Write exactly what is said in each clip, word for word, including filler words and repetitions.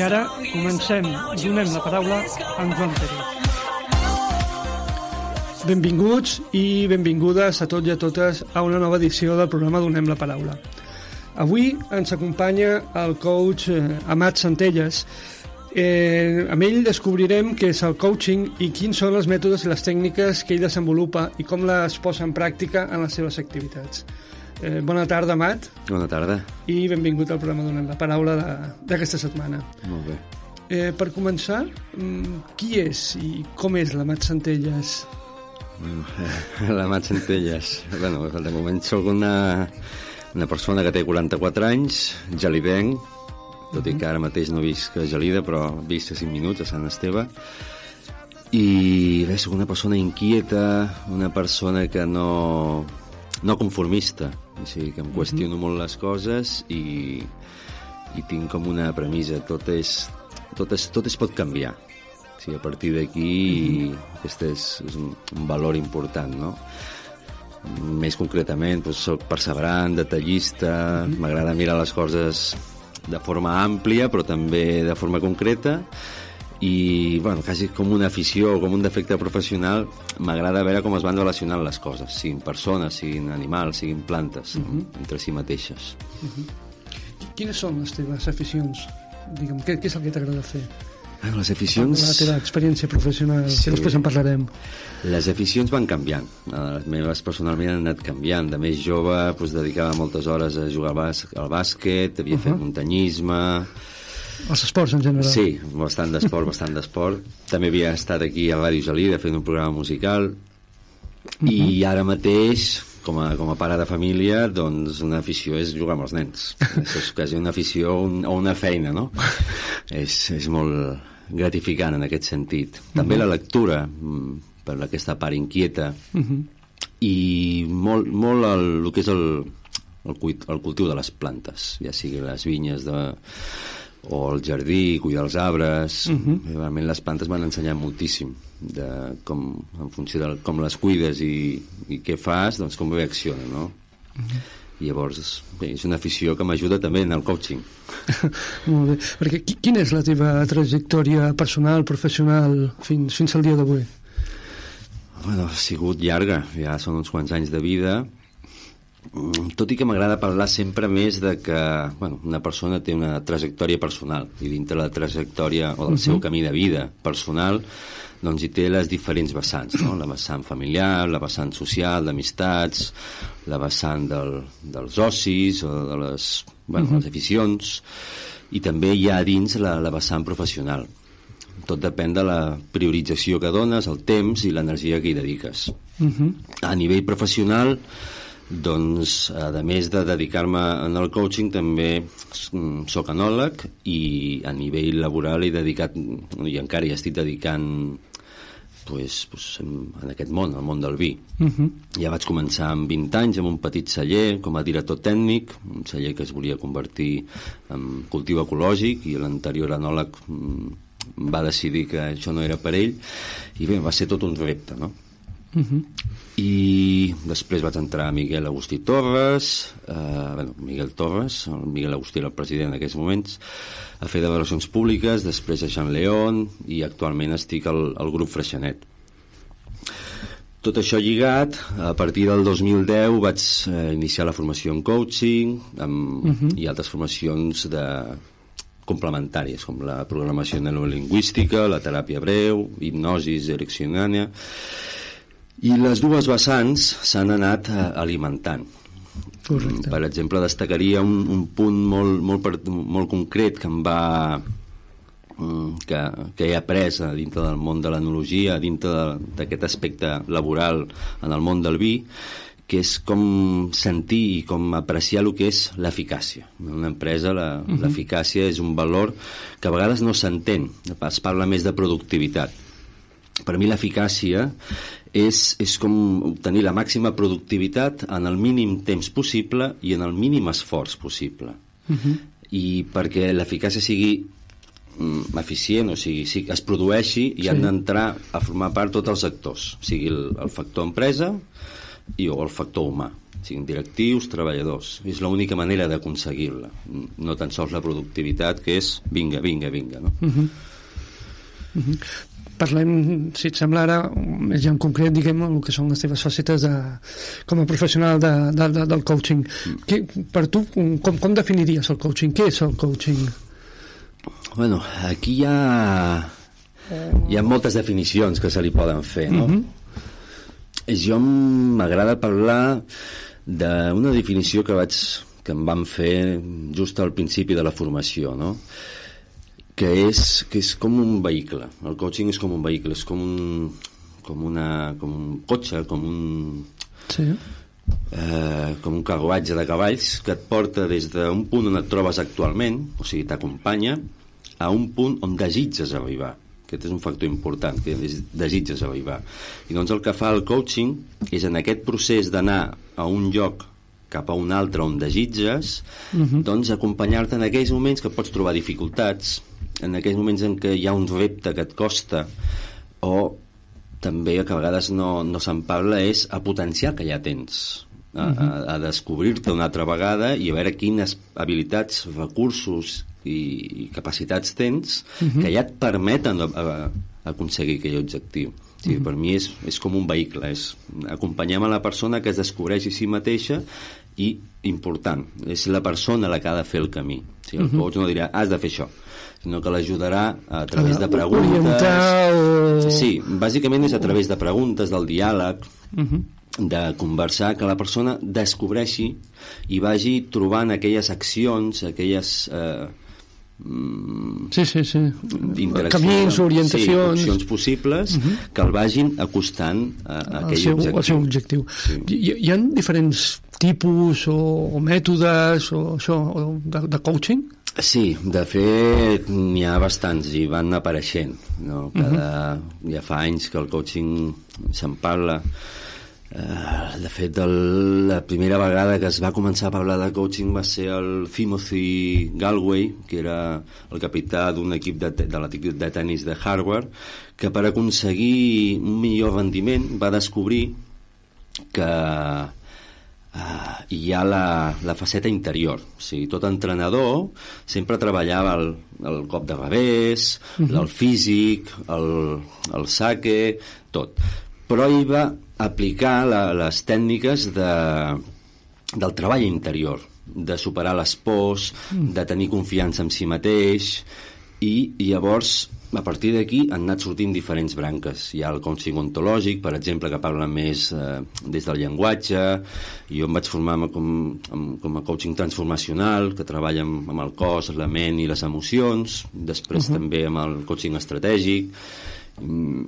ara comencem, donem la paraula a en Joan Pérez. Benvinguts i benvingudes a tots i a totes a una nova edició del programa Donem la Paraula. Avui ens acompanya el coach eh, Amat Centelles. Eh, amb ell descobrirem què és el coaching i quins són els mètodes i les tècniques que ell desenvolupa i com les posa en pràctica en les seves activitats. Eh, bona tarda, Amat. Bona tarda. I benvingut al programa Donem la Paraula d'aquesta setmana. Molt bé. Eh, per començar, qui és i com és l'Amat Centelles? L'Amat Centelles. Bueno, de moment soc una, una persona que té quaranta-quatre anys, gelidenc, tot i que ara mateix no visc a Gelida, però visc a cinc minuts a Sant Esteve. I bé, soc una persona inquieta, una persona que no, no conformista, o sigui, que em qüestiono molt les coses i, i tinc com una premissa, tot és, tot és, tot es pot canviar. O sigui, a partir d'aquí uh-huh. aquest és, és un, un valor important, no? Més concretament, doncs, soc perseverant, detallista, uh-huh. m'agrada mirar les coses de forma àmplia, però també de forma concreta, i, bueno, quasi com una afició o com un defecte professional, m'agrada veure com es van relacionant les coses, siguin persones, siguin animals, siguin plantes, uh-huh. entre si mateixes. Uh-huh. Quines són les teves aficions? Digue'm, què, què és el que t'agrada fer? Les aficions... La teva experiència professional, sí. Que després en parlarem. Les aficions van canviant. Les meves personalment han anat canviant. De més jove, doncs, dedicava moltes hores a jugar al, bàs al bàsquet, havia uh-huh. fet muntanyisme... Els esports, en general. Sí, bastant d'esport, bastant d'esport. També havia estat aquí a Ràdio Gelida fent un programa musical. Uh-huh. I ara mateix, com a, com a pare de família, doncs una afició és jugar amb els nens. És quasi una afició un, o una feina, no? és, és molt gratificant en aquest sentit. També uh-huh. la lectura, per aquesta part inquieta, uh-huh. i molt, molt el, el que és el, el, el cultiu de les plantes, ja sigui les vinyes de, o el jardí, cuidar els arbres. Uh-huh. Realment les plantes m'han ensenyat moltíssim de com, en funció de com les cuides i, i què fas, doncs com reacciona, no? Uh-huh. I llavors bé, és una afició que m'ajuda també en el coaching. Molt bé, perquè quina és la teva trajectòria personal, professional fins, fins al dia d'avui? Bueno, ha sigut llarga, ja són uns quants anys de vida, tot i que m'agrada parlar sempre més de que, bueno, una persona té una trajectòria personal i dintre la trajectòria o del uh-huh. seu camí de vida personal doncs hi té les diferents vessants, no? La vessant familiar, la vessant social, d'amistats, la vessant del, dels ocis o de les, bueno, uh-huh. les aficions, i també hi ha dins la, la vessant professional. Tot depèn de la priorització que dones, el temps i l'energia que hi dediques. Uh-huh. A nivell professional, doncs, a més de dedicar-me al coaching, també soc enòleg, i a nivell laboral he dedicat, i encara hi estic dedicant, pues, pues, en, en aquest món, el món del vi. Uh-huh. Ja vaig començar amb vint anys amb un petit celler com a director tècnic, un celler que es volia convertir en cultiu ecològic, i l'anterior enòleg va decidir que això no era per ell, i bé, va ser tot un repte, no? Uh-huh. I després vaig entrar a Miguel Agustí Torres, eh, bueno, Miguel Torres, el Miguel Agustí era el president en aquells moments, a fer de relacions públiques, després a Jean León, i actualment estic al, al grup Freixenet. Tot això lligat, a partir del dos mil deu vaig eh, iniciar la formació en coaching, amb, uh-huh. i altres formacions de complementàries, com la programació neurolingüística, la teràpia breu, hipnosis ericksoniana. I les dues vessants s'han anat alimentant. Correcte. Per exemple, destacaria un, un punt molt, molt, molt concret que em va que, que he après dintre del món de l'enologia, dintre d'aquest aspecte laboral en el món del vi, que és com sentir i com apreciar el que és l'eficàcia. En una empresa la, uh-huh. l'eficàcia és un valor que a vegades no s'entén, es parla més de productivitat. Per mi l'eficàcia és, és com obtenir la màxima productivitat en el mínim temps possible i en el mínim esforç possible. Uh-huh. I perquè l'eficàcia sigui mm, eficient, o sigui, si es produeixi, hi sí. han d'entrar a formar part tots els actors, o sigui el, el factor empresa, i o el factor humà, siguin directius, treballadors. És l'única manera d'aconseguir-la, no tan sols la productivitat, que és vinga, vinga, vinga, no? Uh-huh. Uh-huh. Parlem, si et sembla ara, més ja en concret, diguem, el que són les teves facetes de, com a professional de, de, de, del coaching. Mm. Que, per tu, com, com definiries el coaching? Què és el coaching? Bueno, aquí hi ha, hi ha moltes definicions que se li poden fer, no? Mm-hmm. Jo m'agrada parlar d'una definició que vaig que em van fer just al principi de la formació, no? Que és, que és com un vehicle. El coaching és com un vehicle, és com un, com una, com un cotxe, com un, sí. eh, com un carruatge de cavalls que et porta des d'un punt on et trobes actualment, o sigui, t'acompanya, a un punt on desitges arribar. Aquest és un factor important, que desitges arribar. I doncs el que fa el coaching és en aquest procés d'anar a un lloc cap a un altre on desitges, uh-huh. doncs acompanyar-te en aquells moments que pots trobar dificultats, en aquells moments en què hi ha un repte que et costa, o també que a vegades no, no se'n parla, és a potenciar que ja tens, a, uh-huh. a, a descobrir-te una altra vegada i a veure quines habilitats, recursos i, i capacitats tens uh-huh. que ja et permeten a, a, a aconseguir aquell objectiu. Sí, uh-huh. Per mi és, és com un vehicle, és acompanyem a la persona que es descobreix a si mateixa i, important, és la persona la que ha de fer el camí. Sí, el uh-huh. coach no dirà, has de fer això, sinó que l'ajudarà a través de preguntes. O... Sí, bàsicament és a través de preguntes, del diàleg, uh-huh. de conversar, que la persona descobreixi i vagi trobant aquelles accions, aquelles... Eh, sí, sí, sí. camins, orientacions, sí, opcions possibles uh-huh. que el vagin acostant a, a aquell seu, objectiu. Al seu objectiu. Sí. Hi, hi ha diferents tipus o, o mètodes o això, o de, de coaching? Sí, de fet n'hi ha bastants i van apareixent, no? Cada, uh-huh. ja fa anys que el coaching se'n parla. Uh, de fet, el, la primera vegada que es va començar a parlar de coaching va ser el Timothy Galway, que era el capità d'un equip de, de l'equip de tennis de Harvard, que per aconseguir un millor rendiment va descobrir que uh, hi ha la, la faceta interior. O sigui, tot entrenador sempre treballava el, el cop de revés, uh-huh. el físic, el, el saque, tot. Però ell va aplicar la, les tècniques de, del treball interior, de superar les pors, mm. de tenir confiança en si mateix, i, i llavors a partir d'aquí han anat sortint diferents branques. Hi ha el coaching ontològic, per exemple, que parla més eh, des del llenguatge. Jo em vaig formar com, com a coaching transformacional, que treballa amb, amb el cos, la ment i les emocions, després uh-huh. també amb el coaching estratègic.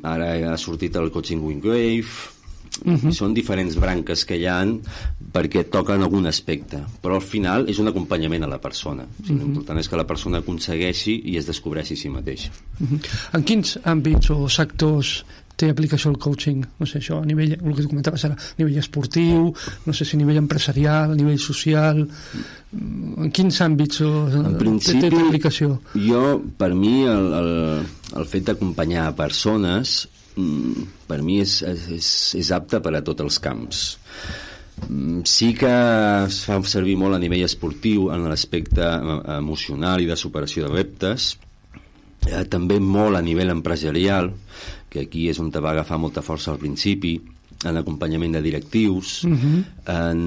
Ara ha sortit el coaching Wingwave. Uh-huh. Són diferents branques que hi ha perquè toquen algun aspecte, però al final és un acompanyament a la persona. O sigui, uh-huh. l'important és que la persona aconsegueixi i es descobreixi a si mateixa. Uh-huh. En quins àmbits o sectors té aplicació el coaching? No sé, això a nivell, el que tu comentaves ara, a nivell esportiu, no sé si a nivell empresarial, a nivell social, en quins àmbits o, en principi, té, té aplicació? Jo, per mi, el, el, el fet d'acompanyar persones per mi és, és, és apte per a tots els camps. Sí que es fa servir molt a nivell esportiu en l'aspecte emocional i de superació de reptes, eh, també molt a nivell empresarial, que aquí és on te va agafar molta força al principi, en acompanyament de directius, uh-huh. en,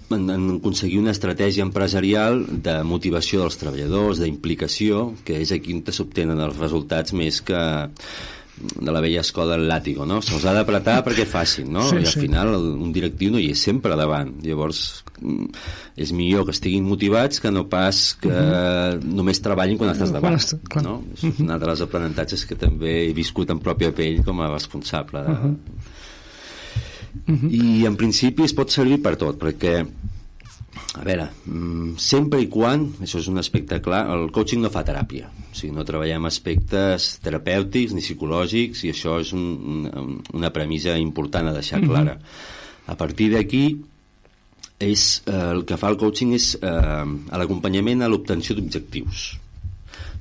en, en aconseguir una estratègia empresarial de motivació dels treballadors, d'implicació, que és aquí on s'obtenen els resultats més que de la vella escola del làtigo, no? Se'ls ha d'apretar perquè facin, no? Sí, I al sí. final un directiu no hi és sempre davant. Llavors és millor que estiguin motivats que no pas que uh-huh. només treballin quan estàs davant, quan no? És uh-huh. un altre dels aprenentatges que també he viscut en pròpia pell com a responsable de... uh-huh. Uh-huh. I en principi es pot servir per tot, perquè a veure, sempre i quan, això és un aspecte clar, el coaching no fa teràpia, o sigui, no treballem aspectes terapèutics ni psicològics, i això és un, un, una premissa important a deixar clara. A partir d'aquí és, eh, el que fa el coaching és eh, l'acompanyament a l'obtenció d'objectius.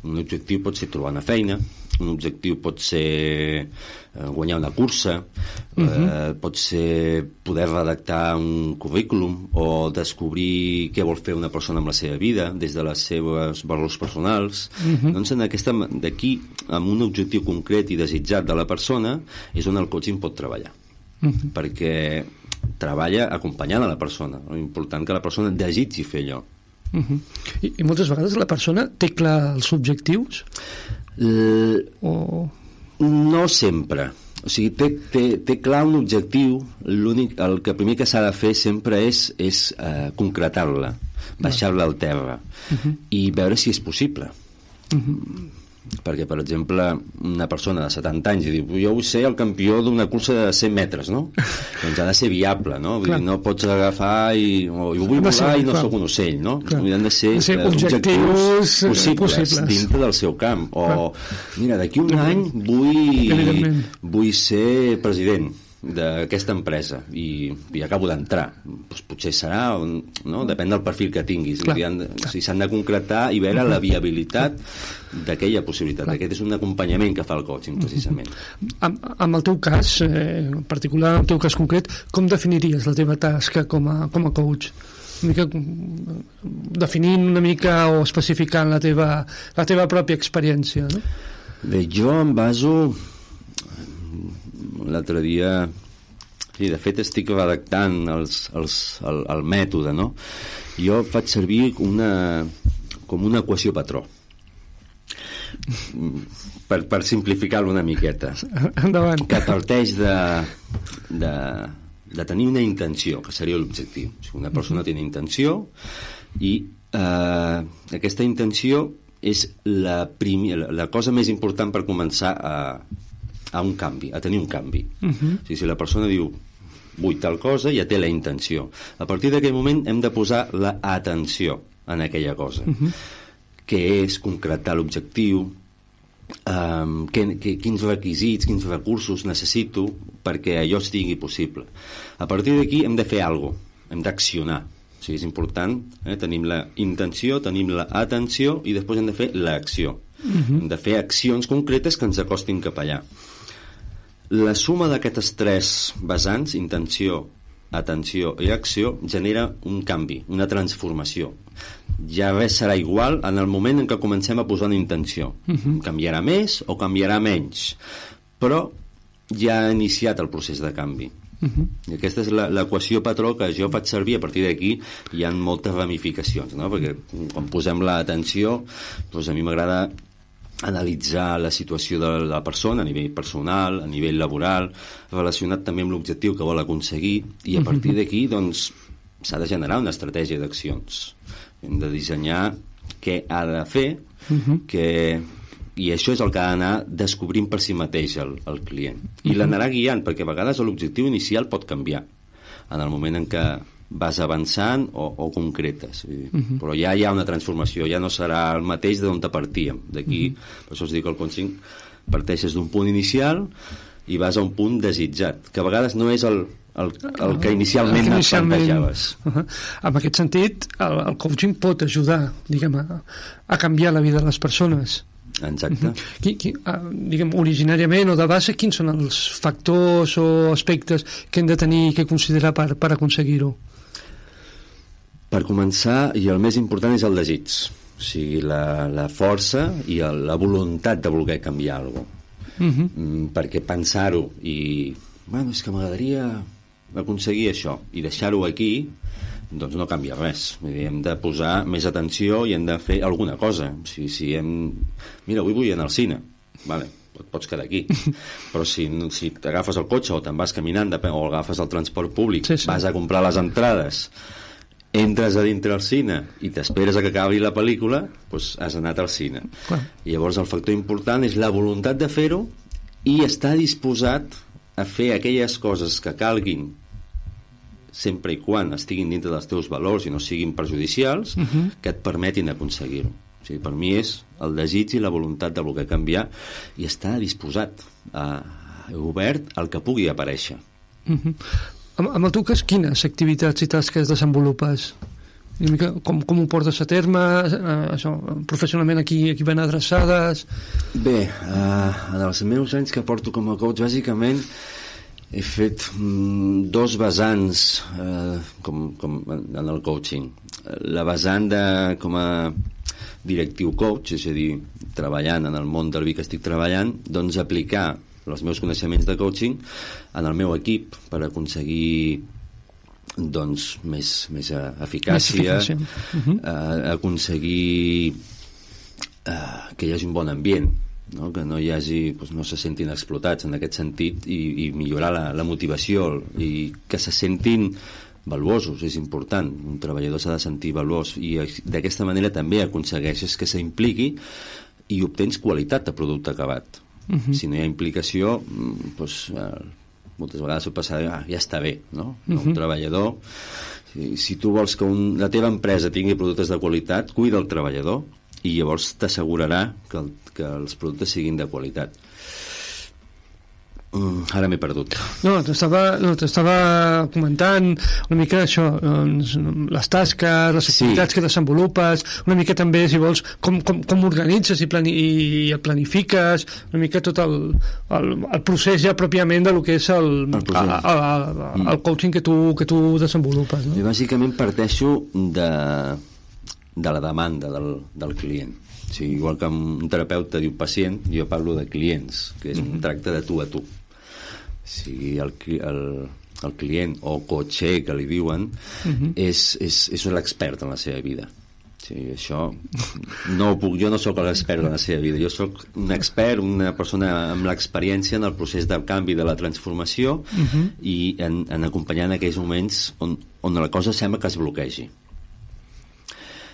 Un objectiu pot ser trobar una feina, un objectiu pot ser eh, guanyar una cursa, uh-huh. eh, pot ser poder redactar un currículum o descobrir què vol fer una persona amb la seva vida des de les seves valors personals. Uh-huh. Doncs en aquesta, d'aquí, amb un objectiu concret i desitjat de la persona, és on el coaching pot treballar. Uh-huh. Perquè treballa acompanyant a la persona. L'important que la persona desitgi fer allò. Uh-huh. I, I moltes vegades la persona té clar els objectius? L... O... No sempre. O sigui, té, té, té clar un objectiu, l'únic, el que primer que s'ha de fer sempre és, és uh, concretar-la, baixar-la al terra uh-huh. i veure si és possible. Uh-huh. Perquè, per exemple, una persona de setanta anys i diu, jo vull ser el campió d'una cursa de cent metres, no? Doncs ha de ser viable, no? Vull dir, no pots agafar i... O, jo vull volar ser, i no clar. Soc un ocell, no? Han de ser, de ser uh, objectius possibles, possibles dintre del seu camp. O, clar. Mira, d'aquí un any vull, vull ser president d'aquesta empresa i, i acabo d'entrar. Pues potser serà, no? Depèn del perfil que tinguis. Clar, de, o sigui, s'han de concretar i veure la viabilitat d'aquella possibilitat. Clar. Aquest és un acompanyament que fa el coaching, precisament. Amb, amb el teu cas, eh, en particular, el teu cas concret, com definiries la teva tasca com a, com a coach? Una mica, definint una mica o especificant la teva, la teva pròpia experiència, no? Bé, jo em baso... L'altre dia, sí, de fet estic redactant els, els, el, el mètode, no? Jo faig servir una, com una equació patró per, per simplificar-lo una miqueta. Endavant. Que parteix de, de, de tenir una intenció, que seria l'objectiu. Una persona té una intenció i eh, aquesta intenció és la, primi, la, la cosa més important per començar a a un canvi, a tenir un canvi. Uh-huh. O sigui, si la persona diu vull tal cosa, ja té la intenció. A partir d'aquell moment hem de posar l'atenció en aquella cosa, uh-huh. que és concretar l'objectiu, um, que, que, quins requisits, quins recursos necessito perquè allò estigui possible. A partir d'aquí hem de fer alguna cosa, hem d'accionar. O sigui, és important, eh? Tenim la intenció, tenim l'atenció i després hem de fer l'acció. Uh-huh. Hem de fer accions concretes que ens acostin cap allà. La suma d'aquestes tres vessants, intenció, atenció i acció, genera un canvi, una transformació. Ja res serà igual en el moment en què comencem a posar una intenció. Uh-huh. Canviarà més o canviarà menys, però ja ha iniciat el procés de canvi. Uh-huh. I aquesta és l'equació patró que jo faig servir. A partir d'aquí hi ha moltes ramificacions, no? Perquè quan posem l'atenció, doncs a mi m'agrada analitzar la situació de la persona a nivell personal, a nivell laboral, relacionat també amb l'objectiu que vol aconseguir, i a partir d'aquí doncs s'ha de generar una estratègia d'accions. Hem de dissenyar què ha de fer, uh-huh. que, i això és el que ha d'anar descobrint per si mateix el, el client. I uh-huh. l'anarà guiant, perquè a vegades l'objectiu inicial pot canviar en el moment en què vas avançant o, o concretes. Uh-huh. Però ja hi ha una transformació, ja no serà el mateix d'on te partíem. D'aquí, uh-huh. per això us dic que el coaching parteixes d'un punt inicial i vas a un punt desitjat, que a vegades no és el, el, el que inicialment et plantejaves. Uh-huh. En aquest sentit, el, el coaching pot ajudar, diguem, a, a canviar la vida de les persones. Exacte. Uh-huh. Qui, qui, uh, diguem, originàriament o de base, quins són els factors o aspectes que hem de tenir i que considerar per, per aconseguir-ho? Per començar, i el més important és el desig, o sigui, la, la força i el, la voluntat de voler canviar alguna cosa. Uh-huh. Mm, perquè pensar-ho i, bueno, és que m'agradaria aconseguir això, i deixar-ho aquí, doncs no canvia res. Vull dir, hem de posar més atenció i hem de fer alguna cosa. O sigui, si hem... Mira, avui vull anar al cine, vale, et pots quedar aquí, però si, si t'agafes el cotxe o te'n vas caminant o agafes el transport públic, sí, sí. vas a comprar les entrades, entres a dintre al cine i t'esperes a que acabi la pel·lícula, doncs has anat al cine. Clar. I llavors el factor important és la voluntat de fer-ho i estar disposat a fer aquelles coses que calguin sempre i quan estiguin dintre dels teus valors i no siguin perjudicials, uh-huh. que et permetin aconseguir-ho. O sigui, per mi és el desig i la voluntat de voler canviar i estar disposat a, obert al que pugui aparèixer. Uh-huh. Amb el teu cas, quines activitats i tasques desenvolupes? una mica com, com ho portes a terme, eh, això, professionalment aquí, aquí ben adreçades? Bé, uh, en els meus anys que porto com a coach, bàsicament he fet mm, dos vessants eh, com, com en el coaching. La vessant de, com a directiu coach, és a dir, treballant en el món del vi que estic treballant, doncs aplicar els meus coneixements de coaching en el meu equip per aconseguir doncs més, més eficàcia, més uh-huh. eh, aconseguir eh, que hi hagi un bon ambient, no? Que no hi hagi, doncs no se sentin explotats en aquest sentit, i, i millorar la, la motivació i que se sentin valuosos, és important. Un treballador s'ha de sentir valuós i d'aquesta manera també aconsegueixes que s'impliqui i obtens qualitat de producte acabat. Uh-huh. Si no hi ha implicació, doncs eh, moltes vegades ho passa, ah, ja està bé, no? Uh-huh. Un treballador, si, si tu vols que un, la teva empresa tingui productes de qualitat, cuida el treballador i llavors t'assegurarà que, el, que els productes siguin de qualitat. Mm, ara m'he perdut. No, t'estava no, t'estava comentant una mica això, doncs, les tasques, les activitats sí. que desenvolupes, una mica també, si vols, com, com, com organitzes i, plani, i et planifiques, una mica tot el, el, el procés ja pròpiament de lo que és el, el, el, el, el, el coaching que tu, que tu desenvolupes. No? Jo bàsicament parteixo de, de la demanda del, del client. O sigui, igual que un terapeuta diu pacient, jo parlo de clients, que és un mm-hmm. tracte de tu a tu. O sigui, el, el, el client o coacher que li diuen uh-huh. és, és, és l'expert en la seva vida. O sigui, això no ho puc, jo no sóc l'expert en la seva vida, jo sóc un expert, una persona amb l'experiència en el procés del canvi, de la transformació uh-huh. i en, en acompanyar en aquells moments on, on la cosa sembla que es bloquegi.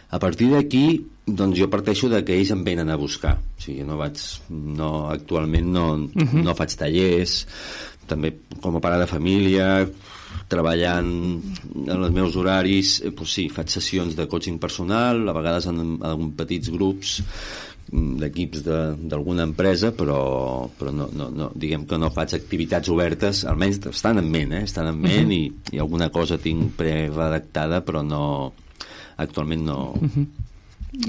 A partir d'aquí, doncs jo parteixo de que ells em venen a buscar. O sigui, no vaig, no, actualment no, uh-huh. no faig tallers, també com a pare de família, treballant en els meus horaris, eh, doncs sí, faig sessions de coaching personal, a vegades en, en petits grups d'equips d'alguna empresa, però, però no, no, no, diguem que no faig activitats obertes, almenys estan en ment, eh? estan en ment uh-huh. i, i alguna cosa tinc preredactada, però no... actualment no, uh-huh.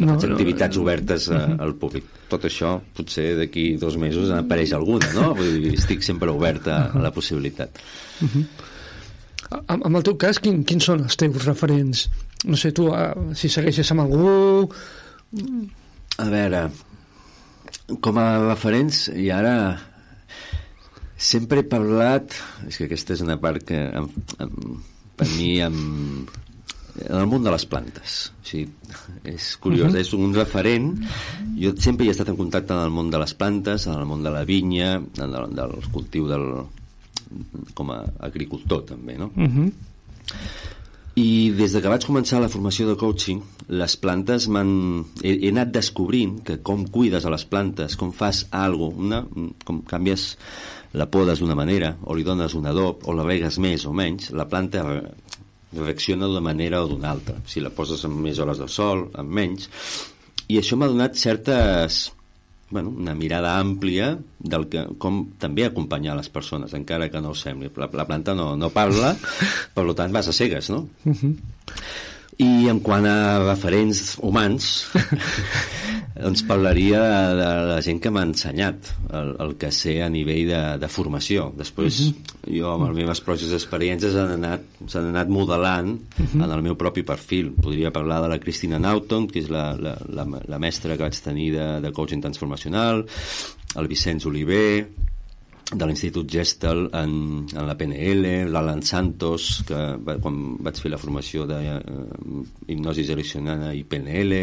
no faig activitats no, no, obertes a, uh-huh. al públic. Tot això potser d'aquí dos mesos apareix alguna, no? Vull dir, estic sempre obert a, uh-huh. a la possibilitat. Uh-huh. En, en el teu cas, quin, quins són els teus referents? No sé, tu, uh, si segueixes amb algú... A veure, com a referents, i ara sempre he parlat, és que aquesta és una part que em, em, per mi em en el món de les plantes. O sigui, és curiós, uh-huh. és un referent. Jo sempre he estat en contacte en el món de les plantes, en el món de la vinya, en el, del cultiu del, com a agricultor també, no? Uh-huh. I des de que vaig començar la formació de coaching, les plantes m'han... He, he anat descobrint que com cuides a les plantes, com fas alguna cosa, com canvies la podes d'una manera, o li dones un adob, o la regues més o menys, la planta reacciona d'una manera o d'una altra, si la poses amb més hores de sol, amb menys, i això m'ha donat certes, bueno, una mirada àmplia del que, com també acompanyar les persones, encara que no ho sembli. La, la planta no, no parla, per tant vas a cegues, no? Uh-huh. I en quant a referents humans, doncs parlaria de, de la gent que m'ha ensenyat el, el que sé a nivell de, de formació. Després, uh-huh. jo amb les meves pròpies experiències han anat, s'han anat modelant uh-huh. en el meu propi perfil. Podria parlar de la Christina Naughton, que és la, la, la, la mestra que vaig tenir de, de coaching transformacional, el Vicenç Oliver, de l'Institut Gestel en, en la P N L, l'Alan Santos, que va, quan vaig fer la formació de uh, hipnosi ericksoniana i P N L,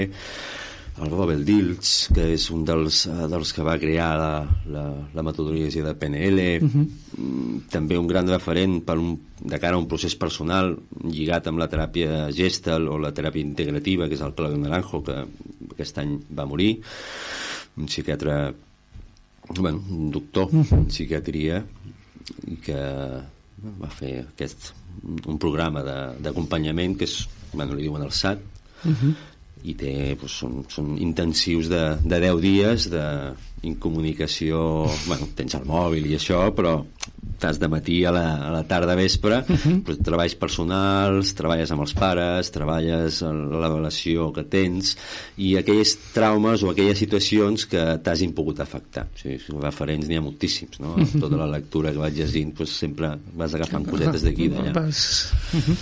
el Robert Dilts, que és un dels, uh, dels que va crear la, la, la metodologia de P N L, uh-huh. mm, també un gran referent per un, de cara a un procés personal lligat amb la teràpia Gestel o la teràpia integrativa, que és el Claudio Naranjo, que aquest any va morir, un psiquiatre, bueno, un doctor uh-huh. en psiquiatria, i que va fer aquest, un programa d'acompanyament que és, bueno, li diuen el S A T, uh-huh. i té, doncs, són, són intensius de, de deu dies d'incomunicació. Bueno, tens el mòbil i això, però estàs de matí a la, a la tarda a vespre, uh-huh. però treballs personals, treballes amb els pares, treballes en la relació que tens, i aquells traumes o aquelles situacions que t'hagin pogut afectar. O sigui, referents n'hi ha moltíssims, no? Uh-huh. Tota la lectura que vaig llegint, doncs, sempre vas agafant cosetes d'aquí i d'allà. Vas... Uh-huh.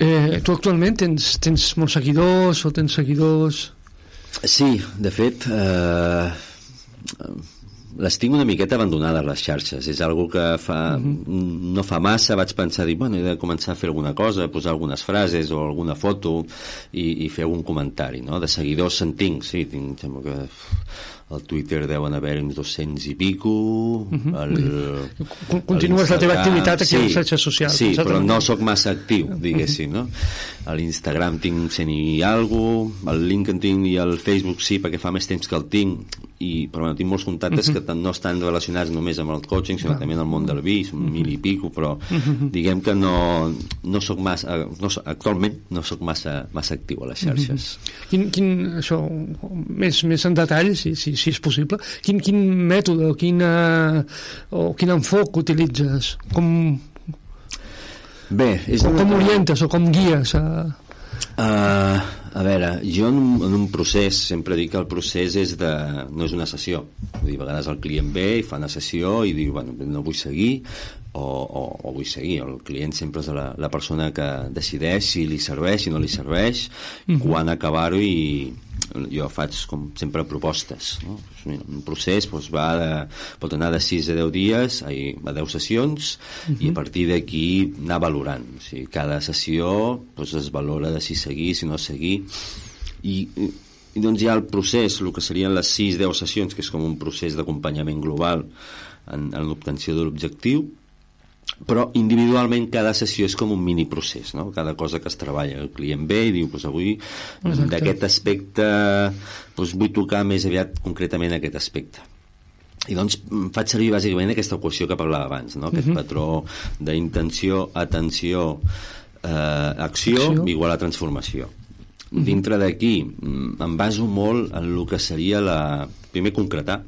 eh, tu actualment tens, tens molts seguidors o tens seguidors? Sí, de fet... Eh... les tinc una miqueta abandonades, les xarxes. És algo que fa, uh-huh. no fa massa vaig pensar, dir, bueno, he de començar a fer alguna cosa, posar algunes frases o alguna foto i, i fer algun comentari, no? De seguidors se'n tinc, sí, tinc, sembla que al Twitter deuen haver uns dos-cents i pico. Uh-huh. el, Continues la teva activitat aquí sí, a les xarxes socials. Sí, però no sóc massa actiu, diguéssim, no? A l'Instagram tinc cent i algo, al LinkedIn i al Facebook sí, perquè fa més temps que el tinc, i, però bueno, tinc molts contactes uh-huh. que no estan relacionats només amb el coaching, sinó uh-huh. també en el món del vi, són uh-huh. mil i pico, però uh-huh. diguem que no, no soc massa, no, actualment no soc massa, massa actiu a les xarxes. Uh-huh. Quin, quin, això, més, més en detall, si, si, si és possible, quin, quin mètode o, quina, o quin enfoc utilitzes? Com, Bé, és com, com orientes o com guies a... Uh, a veure, jo en un, en un procés sempre dic que el procés és de, no és una sessió. Vull dir, a vegades el client ve i fa una sessió i diu, bueno, no vull seguir o, o, o vull seguir. El client sempre és la, la persona que decideix si li serveix, si no li serveix, mm-hmm. quan acabar-ho, i jo faig com sempre propostes, no? Un procés doncs, va de, pot anar de sis a deu dies a deu sessions, uh-huh. i a partir d'aquí anar valorant. O sigui, cada sessió doncs, es valora de si seguir, si no seguir, i, i doncs hi ha el procés, el que serien les sis a deu sessions, que és com un procés d'acompanyament global en, en l'obtenció de l'objectiu, però individualment cada sessió és com un mini procés, no? Cada cosa que es treballa, el client ve i diu, pues avui Exacte. d'aquest aspecte pues, vull tocar més aviat concretament aquest aspecte, i doncs faig servir bàsicament aquesta equació que parlava abans, no? Aquest uh-huh. patró d'intenció, atenció, eh, acció, acció igual a transformació. Uh-huh. Dintre d'aquí em baso molt en el que seria la... primer concretar,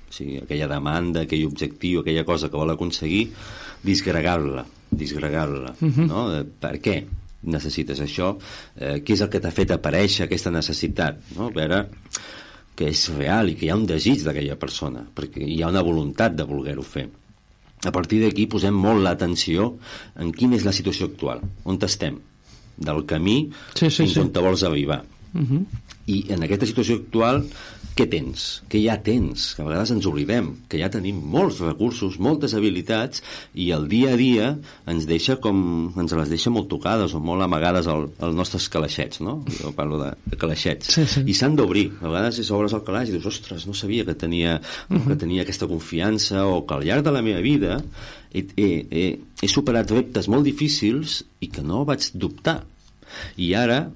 o sigui, aquella demanda, aquell objectiu, aquella cosa que vol aconseguir, disgregar-la, disgregar-la, uh-huh. no? Per què necessites això? Eh, què és el que t'ha fet aparèixer aquesta necessitat? No? A veure que és real i que hi ha un desig d'aquella persona, perquè hi ha una voluntat de voler-ho fer. A partir d'aquí posem molt l'atenció en quina és la situació actual, on estem, del camí sí, sí, fins sí. on te vols arribar. Uh-huh. I en aquesta situació actual què tens? Què ja tens? Que a vegades ens oblidem que ja tenim molts recursos, moltes habilitats, i el dia a dia ens deixa com ens les deixa molt tocades o molt amagades als al nostres calaixets, no? Jo parlo de, de calaixets. Sí, sí. I s'han d'obrir. A vegades si obres el calaix i dius, ostres, no sabia que tenia, uh-huh. que tenia aquesta confiança, o que al llarg de la meva vida he, he, he, he superat reptes molt difícils i que no vaig dubtar. I ara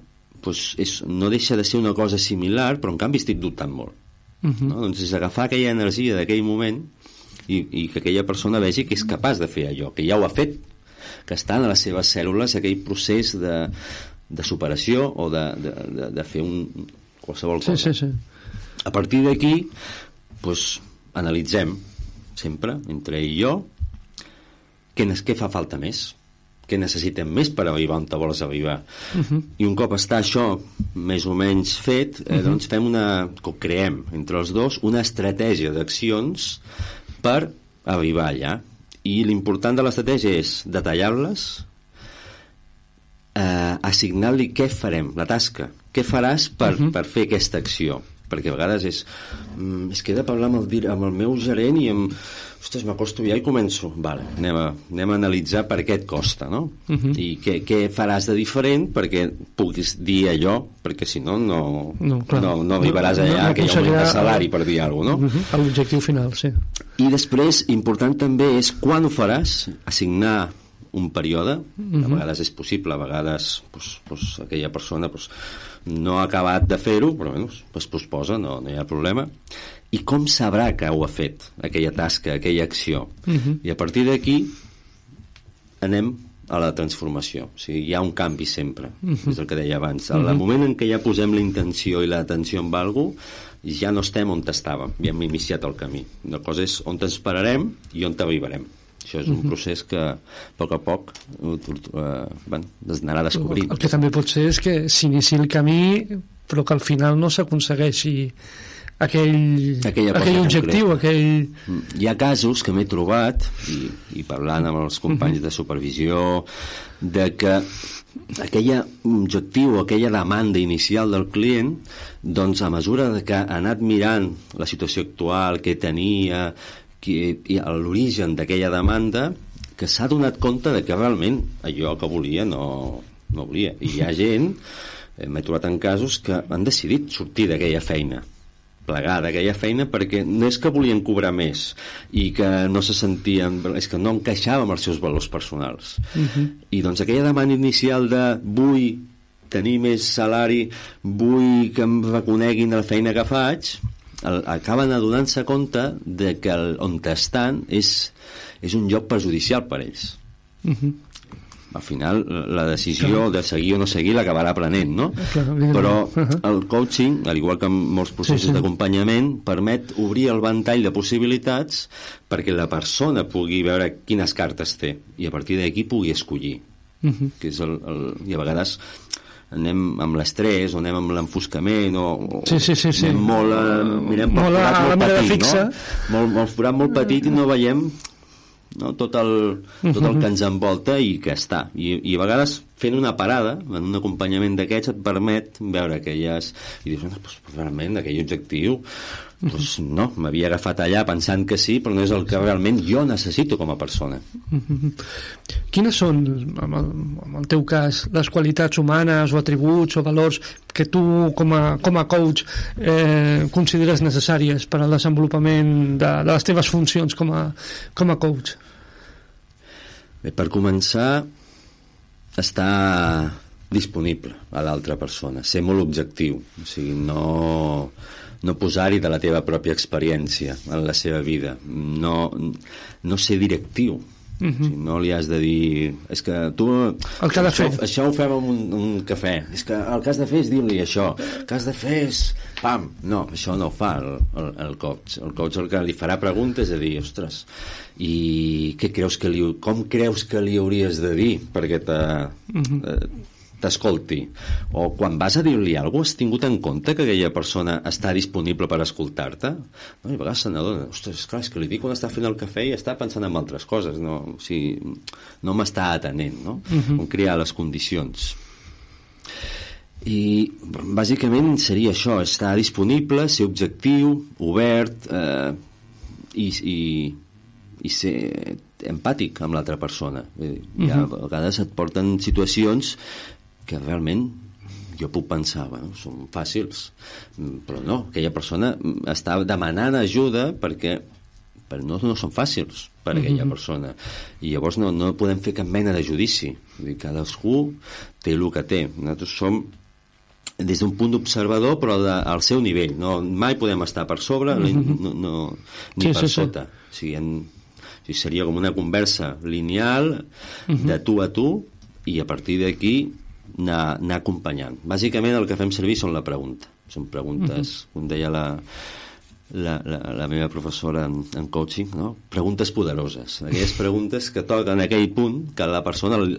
pues és, no deixa de ser una cosa similar, però en canvi estic dubtant molt. Uh-huh. No? Doncs és agafar aquella energia d'aquell moment i, i que aquella persona vegi que és capaç de fer allò, que ja ho ha fet, que estan a les seves cèl·lules aquell procés de, de superació o de, de, de, de fer un, qualsevol cosa. Sí, sí, sí. A partir d'aquí pues, analitzem sempre, entre ell i jo, què, què fa falta més, què necessitem més per arribar on te vols arribar. Uh-huh. I un cop està això més o menys fet, eh, uh-huh. doncs fem una, o creem entre els dos una estratègia d'accions per arribar allà. I l'important de l'estratègia és detallar-les, eh, assignar-li què farem, la tasca, què faràs per, uh-huh. per fer aquesta acció, perquè a vegades és mm, és que he de parlar amb el, amb el meu gerent i amb ostres, m'acosto ja i començo. Vale, anem, a, anem a analitzar per què et costa, no? Uh-huh. I què, què faràs de diferent perquè puguis dir allò, perquè si no, no, no, no, no arribaràs allà, no, no, que hi ha un augment de salari, per dir alguna cosa, no? Uh-huh. A l'objectiu final, sí. I després, important també és quan ho faràs, assignar un període, uh-huh. a vegades és possible, a vegades pues, pues, aquella persona pues, no ha acabat de fer-ho, però bueno, es posposa, no, no hi ha problema. I com sabrà que ho ha fet, aquella tasca, aquella acció? Uh-huh. I a partir d'aquí anem a la transformació. O sigui, hi ha un canvi sempre, uh-huh. és el que deia abans. Al uh-huh. moment en què ja posem la intenció i l'atenció en algú, ja no estem on estàvem, ja hem iniciat el camí. La cosa és on ens pararem i on arribarem. Això és un uh-huh. procés que a poc a poc eh, bueno, es anarà descobrint. El que també pot ser és que s'inici el camí però que al final no s'aconsegueixi aquell, aquell objectiu, aquell... Hi ha casos que m'he trobat, i, i parlant amb els companys uh-huh. de supervisió, de que aquell objectiu, aquella demanda inicial del client, doncs a mesura de que ha anat mirant la situació actual, què tenia, que, l'origen d'aquella demanda, que s'ha donat compte de que realment allò que volia no, no volia. I hi ha gent, eh, m'he trobat en casos, que han decidit sortir d'aquella feina, plegar d'aquella feina, perquè no és que volien cobrar més i que no se sentien, és que no encaixava amb els seus valors personals. Uh-huh. I doncs aquella demanda inicial de vull tenir més salari, vull que em reconeguin la feina que faig, el, acaben adonant-se compte de que el, on estan és, és un lloc perjudicial per ells. Uh-huh. Al final la decisió claro. de seguir o no seguir l'acabarà prenent, no? Claro, però uh-huh. el coaching, al igual que en molts processos sí, sí. d'acompanyament, permet obrir el ventall de possibilitats perquè la persona pugui veure quines cartes té i a partir d'aquí pugui escollir. Uh-huh. Que és el, el, i a vegades anem amb l'estrès o anem amb l'enfoscament o, o sí, sí, sí, sí. anem molt a, mirem molt, forat, a, molt petit, fixa. No? Molt, molt forat molt petit i no veiem no? tot, el, tot el que ens envolta i que està. I, i a vegades fent una parada en un acompanyament d'aquests et permet veure aquelles i dius, pues, realment aquell objectiu pues, no, m'havia agafat allà pensant que sí, però no és el que realment jo necessito com a persona. Quines són, en el, en el teu cas, les qualitats humanes o atributs o valors que tu com a, com a coach eh, consideres necessàries per al desenvolupament de, de les teves funcions com a, com a coach? Bé, per començar, estar disponible a l'altra persona, ser molt objectiu, o sigui, no, no posar-hi de la teva pròpia experiència en la seva vida, no, no ser directiu. Uh-huh. O sigui, no li has de dir és que tu el que ha de això, fer. això ho fem amb un, un cafè, és que el que has de fer és dir-li això, el que has de fer és pam, no, això no ho fa el, el, el coach el coach el que li farà preguntes de dir, ostres, i què creus que li, com creus que li hauries de dir perquè te, uh-huh. eh, t'escolti, o quan vas a dir-li alguna cosa, has tingut en compte que aquella persona està disponible per escoltar-te? No, i a vegades se n'adona, ostres, esclar, és que li dic quan està fent el cafè i està pensant en altres coses, no, o sigui, no m'està atenent, no? Uh-huh. On crear les condicions. I bàsicament seria això, estar disponible, ser objectiu, obert, eh, i, i, i ser empàtic amb l'altra persona. Uh-huh. Ja, a vegades et porten situacions que realment jo puc pensar, bueno, són fàcils, però no, aquella persona està demanant ajuda perquè, perquè no, no són fàcils per a aquella uh-huh. persona, i llavors no, no podem fer cap mena de judici. Vull dir, cadascú té el que té. Nosaltres som des d'un punt d'observador, però de, al seu nivell, no, mai podem estar per sobre uh-huh. no, no, ni sí, per sí, sota. Sí. O sigui, en, o sigui, seria com una conversa lineal uh-huh. de tu a tu, i a partir d'aquí anar, anar acompanyant. Bàsicament el que fem servir són la pregunta. Són preguntes, uh-huh. com deia la, la, la, la meva professora en, en coaching, no? Preguntes poderoses. Aquelles preguntes que toquen en aquell punt que la persona li,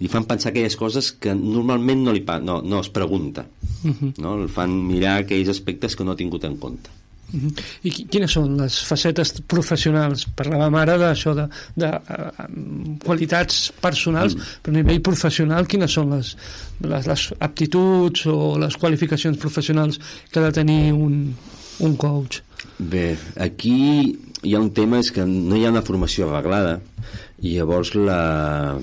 li fan pensar aquelles coses que normalment no, li, no, no es pregunta. Uh-huh. No? El fan mirar aquells aspectes que no ha tingut en compte. Uh-huh. I quines són les facetes professionals? Parlàvem ara d'això de, de, de uh, qualitats personals, mm. però a nivell professional quines són les, les, les aptituds o les qualificacions professionals que ha de tenir un, un coach? Bé, aquí hi ha un tema, és que no hi ha una formació arreglada i llavors la,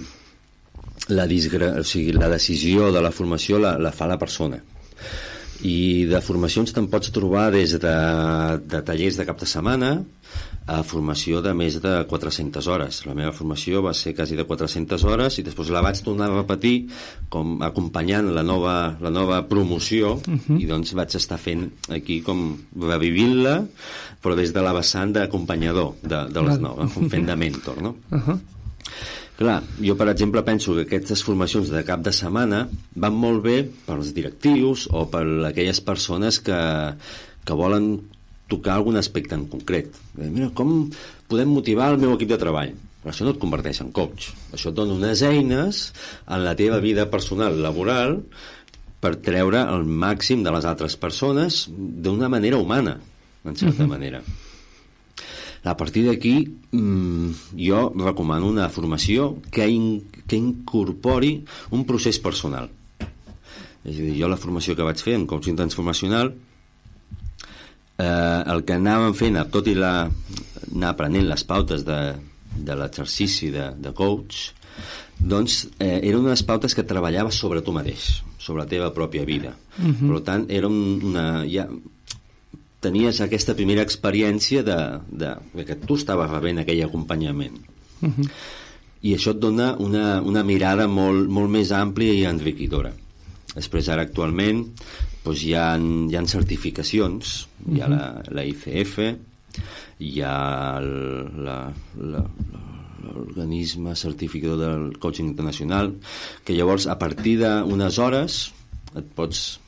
la, disgra... o sigui, la decisió de la formació la, la fa la persona. I de formacions te'n pots trobar des de, de tallers de cap de setmana a formació de més de quatre-centes hores. La meva formació va ser quasi de quatre-centes hores i després la vaig tornar a repetir com acompanyant la nova, la nova promoció uh-huh. i doncs vaig estar fent aquí com revivint-la, però des de la vessant d'acompanyador de, de les noves, com fent de mentor, no? Uh-huh. Clar, jo, per exemple, penso que aquestes formacions de cap de setmana van molt bé pels directius o per aquelles persones que, que volen tocar algun aspecte en concret. Mira, com podem motivar el meu equip de treball? Però això no et converteix en coach. Això et dona unes eines en la teva vida personal, laboral, per treure el màxim de les altres persones d'una manera humana, en certa uh-huh. manera. A partir d'aquí, mmm, jo recomano una formació que, in, que incorpori un procés personal. És a dir, jo la formació que vaig fer en coaching transformacional, eh, el que anàvem fent, tot i la, anar aprenent les pautes de, de l'exercici de, de coach, doncs eh, eren unes pautes que treballava sobre tu mateix, sobre la teva pròpia vida. Uh-huh. Per tant, era una... Ja, tenies aquesta primera experiència de, de, de que tu estaves rebent aquell acompanyament. Uh-huh. I això et dona una, una mirada molt, molt més àmplia i enriquidora. Després, ara, actualment, doncs hi, ha, hi ha certificacions, uh-huh. hi ha la, la I C F, hi ha el, la, la, la, l'organisme certificador del coaching internacional, que llavors, a partir d'unes hores, et pots...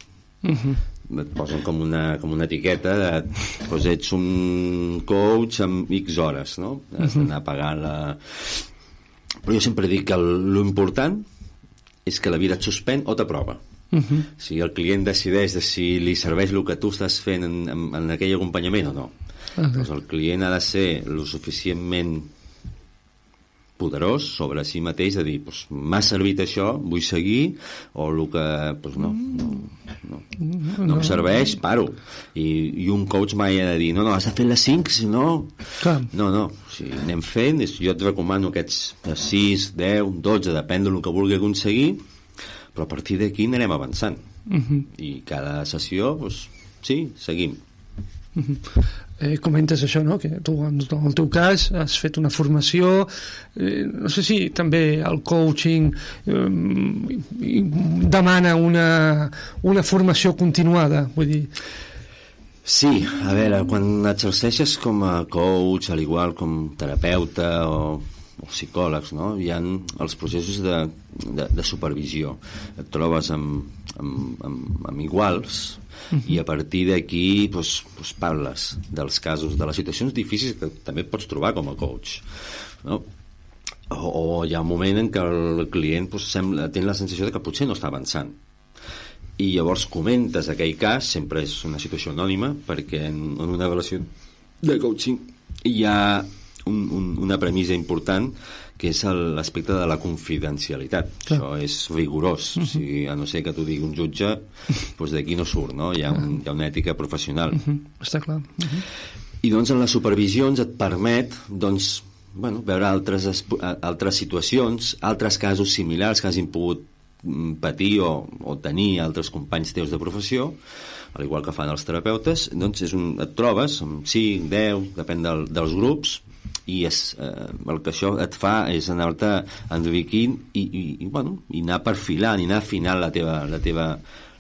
Uh-huh. et posen com una, com una etiqueta de, doncs ets un coach amb X hores, no? Has d'anar pagant la... Però jo sempre dic que l'important és que la vida et suspèn o t'aprova. Uh-huh. Si el client decideix de si li serveix el que tu estàs fent en, en, en aquell acompanyament o no. Uh-huh. Doncs el client ha de ser lo suficientment poderós sobre si mateix, de dir, doncs, m'ha servit això, vull seguir, o el que, doncs no, no, no, no, no em serveix, paro. I, i un coach mai ha de dir, no, no, has de fer les cinc, si no... Clar. No, no, o sigui, anem fent, jo et recomano aquests sis, deu, dotze, depèn del que vulgui aconseguir, però a partir d'aquí anirem avançant. Uh-huh. I cada sessió, doncs, sí, seguim. Uh-huh. Eh, comentes això, no? Que tu, en el teu cas, has fet una formació, eh, no sé si també el coaching eh, demana una, una formació continuada, vull dir... Sí, a veure, quan exerceixes com a coach, al igual com terapeuta o, o psicòlegs, no? Hi ha els processos de, de, de supervisió. Et trobes amb, amb, amb, amb iguals, uh-huh. i a partir d'aquí doncs, doncs parles dels casos, de les situacions difícils que també pots trobar com a coach, no? O, o hi ha un moment en què el client doncs, sembla, té la sensació de que potser no està avançant, i llavors comentes aquell cas. Sempre és una situació anònima, perquè en, en una relació de coaching hi ha un, un, una premissa important, que és l'aspecte de la confidencialitat. Clar. Això és rigorós. Uh-huh. O sigui, a no ser que t'ho digui un jutge, doncs d'aquí no surt, no? Hi ha, un, hi ha una ètica professional. Uh-huh. Està clar. Uh-huh. I doncs en les supervisions et permet doncs, bueno, veure altres, altres situacions, altres casos similars que hagin pogut patir o, o tenir altres companys teus de professió, al igual que fan els terapeutes. Doncs és un, et trobes amb cinc, deu, depèn del, dels grups, i és, eh, el que això et fa és anar-te enriquint i, i, i, bueno, i anar perfilant i anar afinant la teva, la teva,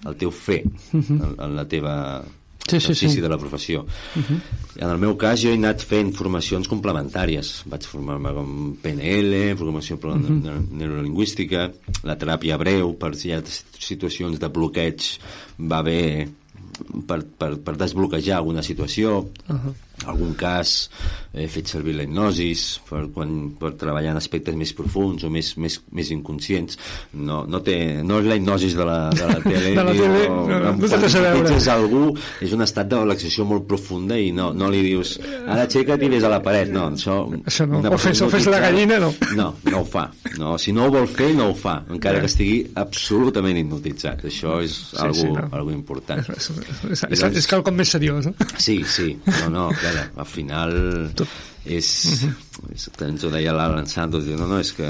el teu fer, uh-huh. en, en la teva sí, exercici sí, sí. de la professió. Uh-huh. En el meu cas jo he anat fent formacions complementàries. Vaig formar-me com P N L, programació uh-huh. neurolingüística, la teràpia breu, per si hi ha situacions de bloqueig va bé per, per, per desbloquejar alguna situació. Uh-huh. Algun cas he fet servir la hipnosis per, quan, per treballar en aspectes més profunds o més, més, més inconscients. No, no, té, no és la hipnosis de la, de la tele, de la tele o, no, no, no quan hipnotitzes algú és un estat de relaxació molt profunda i no, no li dius ara aixeca't i ves a la paret. No, això, això no. O fes, o fes la gallina, no. No, no ho fa. No, si no ho vol fer, no ho fa, encara que estigui absolutament hipnotitzat. Això és sí, algo, sí, no. algo important. És, és, és, és, és quelcom més seriós, no? Sí, sí. No, no, clar, al final és, uh-huh. és ens ho deia l'Alan Santos, no, no, és que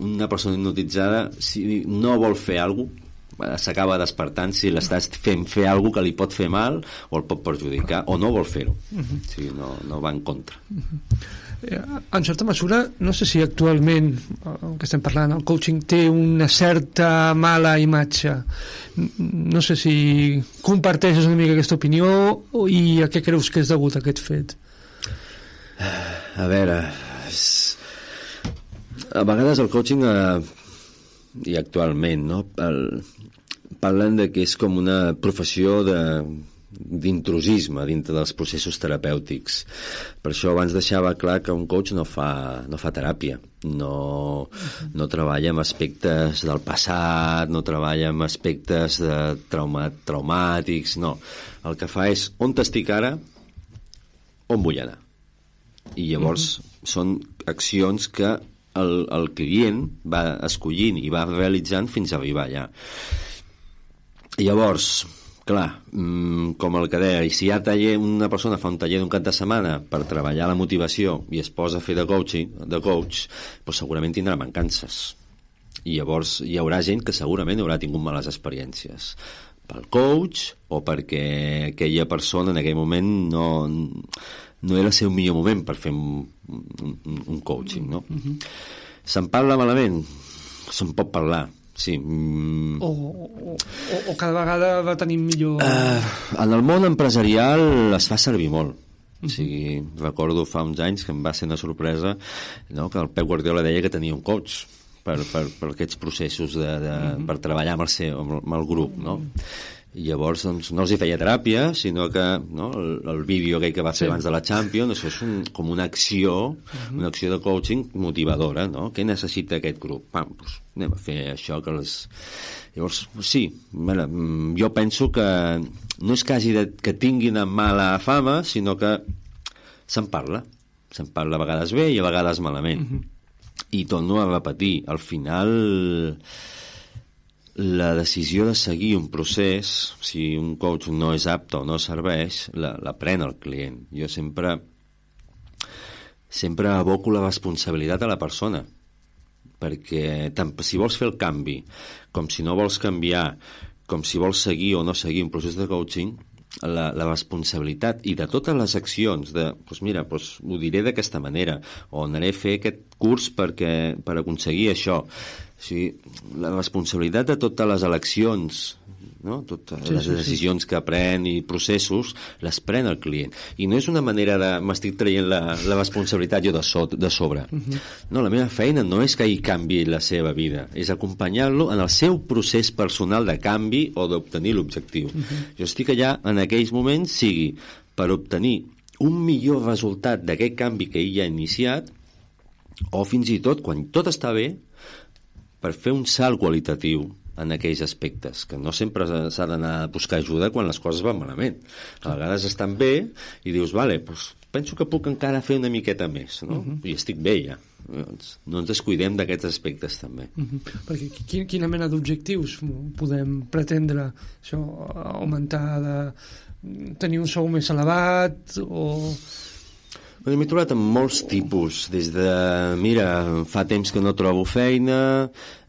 una persona hipnotitzada, si no vol fer alguna cosa, s'acaba despertant si l'estàs fent fer alguna cosa que li pot fer mal o el pot perjudicar o no vol fer-ho. Uh-huh. O sigui, no, no va en contra. Uh-huh. En certa mesura, no sé si actualment el que estem parlant, el coaching té una certa mala imatge. No sé si comparteixes una mica aquesta opinió i a què creus que és degut a aquest fet? A veure, és... a vegades el coaching, eh, i actualment, no? El, parlen de que és com una professió de d'intrusisme dintre dels processos terapèutics. Per això abans deixava clar que un coach no fa, no fa teràpia, no, no treballa amb aspectes del passat, no treballa amb aspectes de trauma, traumàtics, no. El que fa és on t'estic ara, on vull anar. I llavors uh-huh. són accions que el, el client va escollint i va realitzant fins a arribar allà. Llavors, clar, com el que deia, i si hi ha taller, una persona fa un taller d'un cap de setmana per treballar la motivació i es posa a fer de coaching, de coach, doncs segurament tindrà mancances. I llavors hi haurà gent que segurament haurà tingut males experiències pel coach o perquè aquella persona en aquell moment no, no era el seu millor moment per fer un, un, un coaching, no? Uh-huh. Se'n parla malament? Se'n pot parlar. Sí. Mm. O, o, o, o cada vegada va tenir millor... Uh, en el món empresarial es fa servir molt. Uh-huh. O sigui, recordo fa uns anys que em va ser una sorpresa, no?, que el Pep Guardiola deia que tenia un coach per, per, per aquests processos de, de, uh-huh. per treballar amb el, seu, amb el grup, no? I llavors doncs, no els hi feia teràpia, sinó que, no, el, el vídeo aquell que va fer sí. abans de la Champions, això és un, com una acció, uh-huh. una acció de coaching motivadora, no? Què necessita aquest grup? Pam, doncs anem a fer això que les... Llavors, sí, mira, jo penso que no és que hagi de, que tinguin mala fama, sinó que se'n parla. Se'n parla a vegades bé i a vegades malament. Uh-huh. I torno a repetir, al final... la decisió de seguir un procés, si un coach no és apte o no serveix, la, la pren el client. Jo sempre sempre aboco la responsabilitat a la persona, perquè tant si vols fer el canvi, com si no vols canviar, com si vols seguir o no seguir un procés de coaching, la, la responsabilitat i de totes les accions de, doncs mira, doncs ho diré d'aquesta manera, o anaré a fer aquest curs perquè, per aconseguir això. O sigui, la responsabilitat de totes les eleccions, no? Totes sí, les sí, decisions sí. que pren i processos, les pren el client. I no és una manera de m'estic traient la, la responsabilitat jo de, so, de sobre. Uh-huh. No, la meva feina no és que ell canvi la seva vida, és acompanyar-lo en el seu procés personal de canvi o d'obtenir l'objectiu. Uh-huh. Jo estic allà en aquells moments, sigui per obtenir un millor resultat d'aquest canvi que ell ja ha iniciat, o fins i tot, quan tot està bé, per fer un salt qualitatiu en aquells aspectes, que no sempre s'ha d'anar a buscar ajuda quan les coses van malament. A vegades estan bé i dius, vale, doncs penso que puc encara fer una miqueta més, no? Uh-huh. I estic bé ja. No ens descuidem d'aquests aspectes també. Uh-huh. Perquè quin, quina mena d'objectius podem pretendre? Això, augmentar de... tenir un sou més elevat o... M'he trobat amb molts tipus, des de, mira, fa temps que no trobo feina,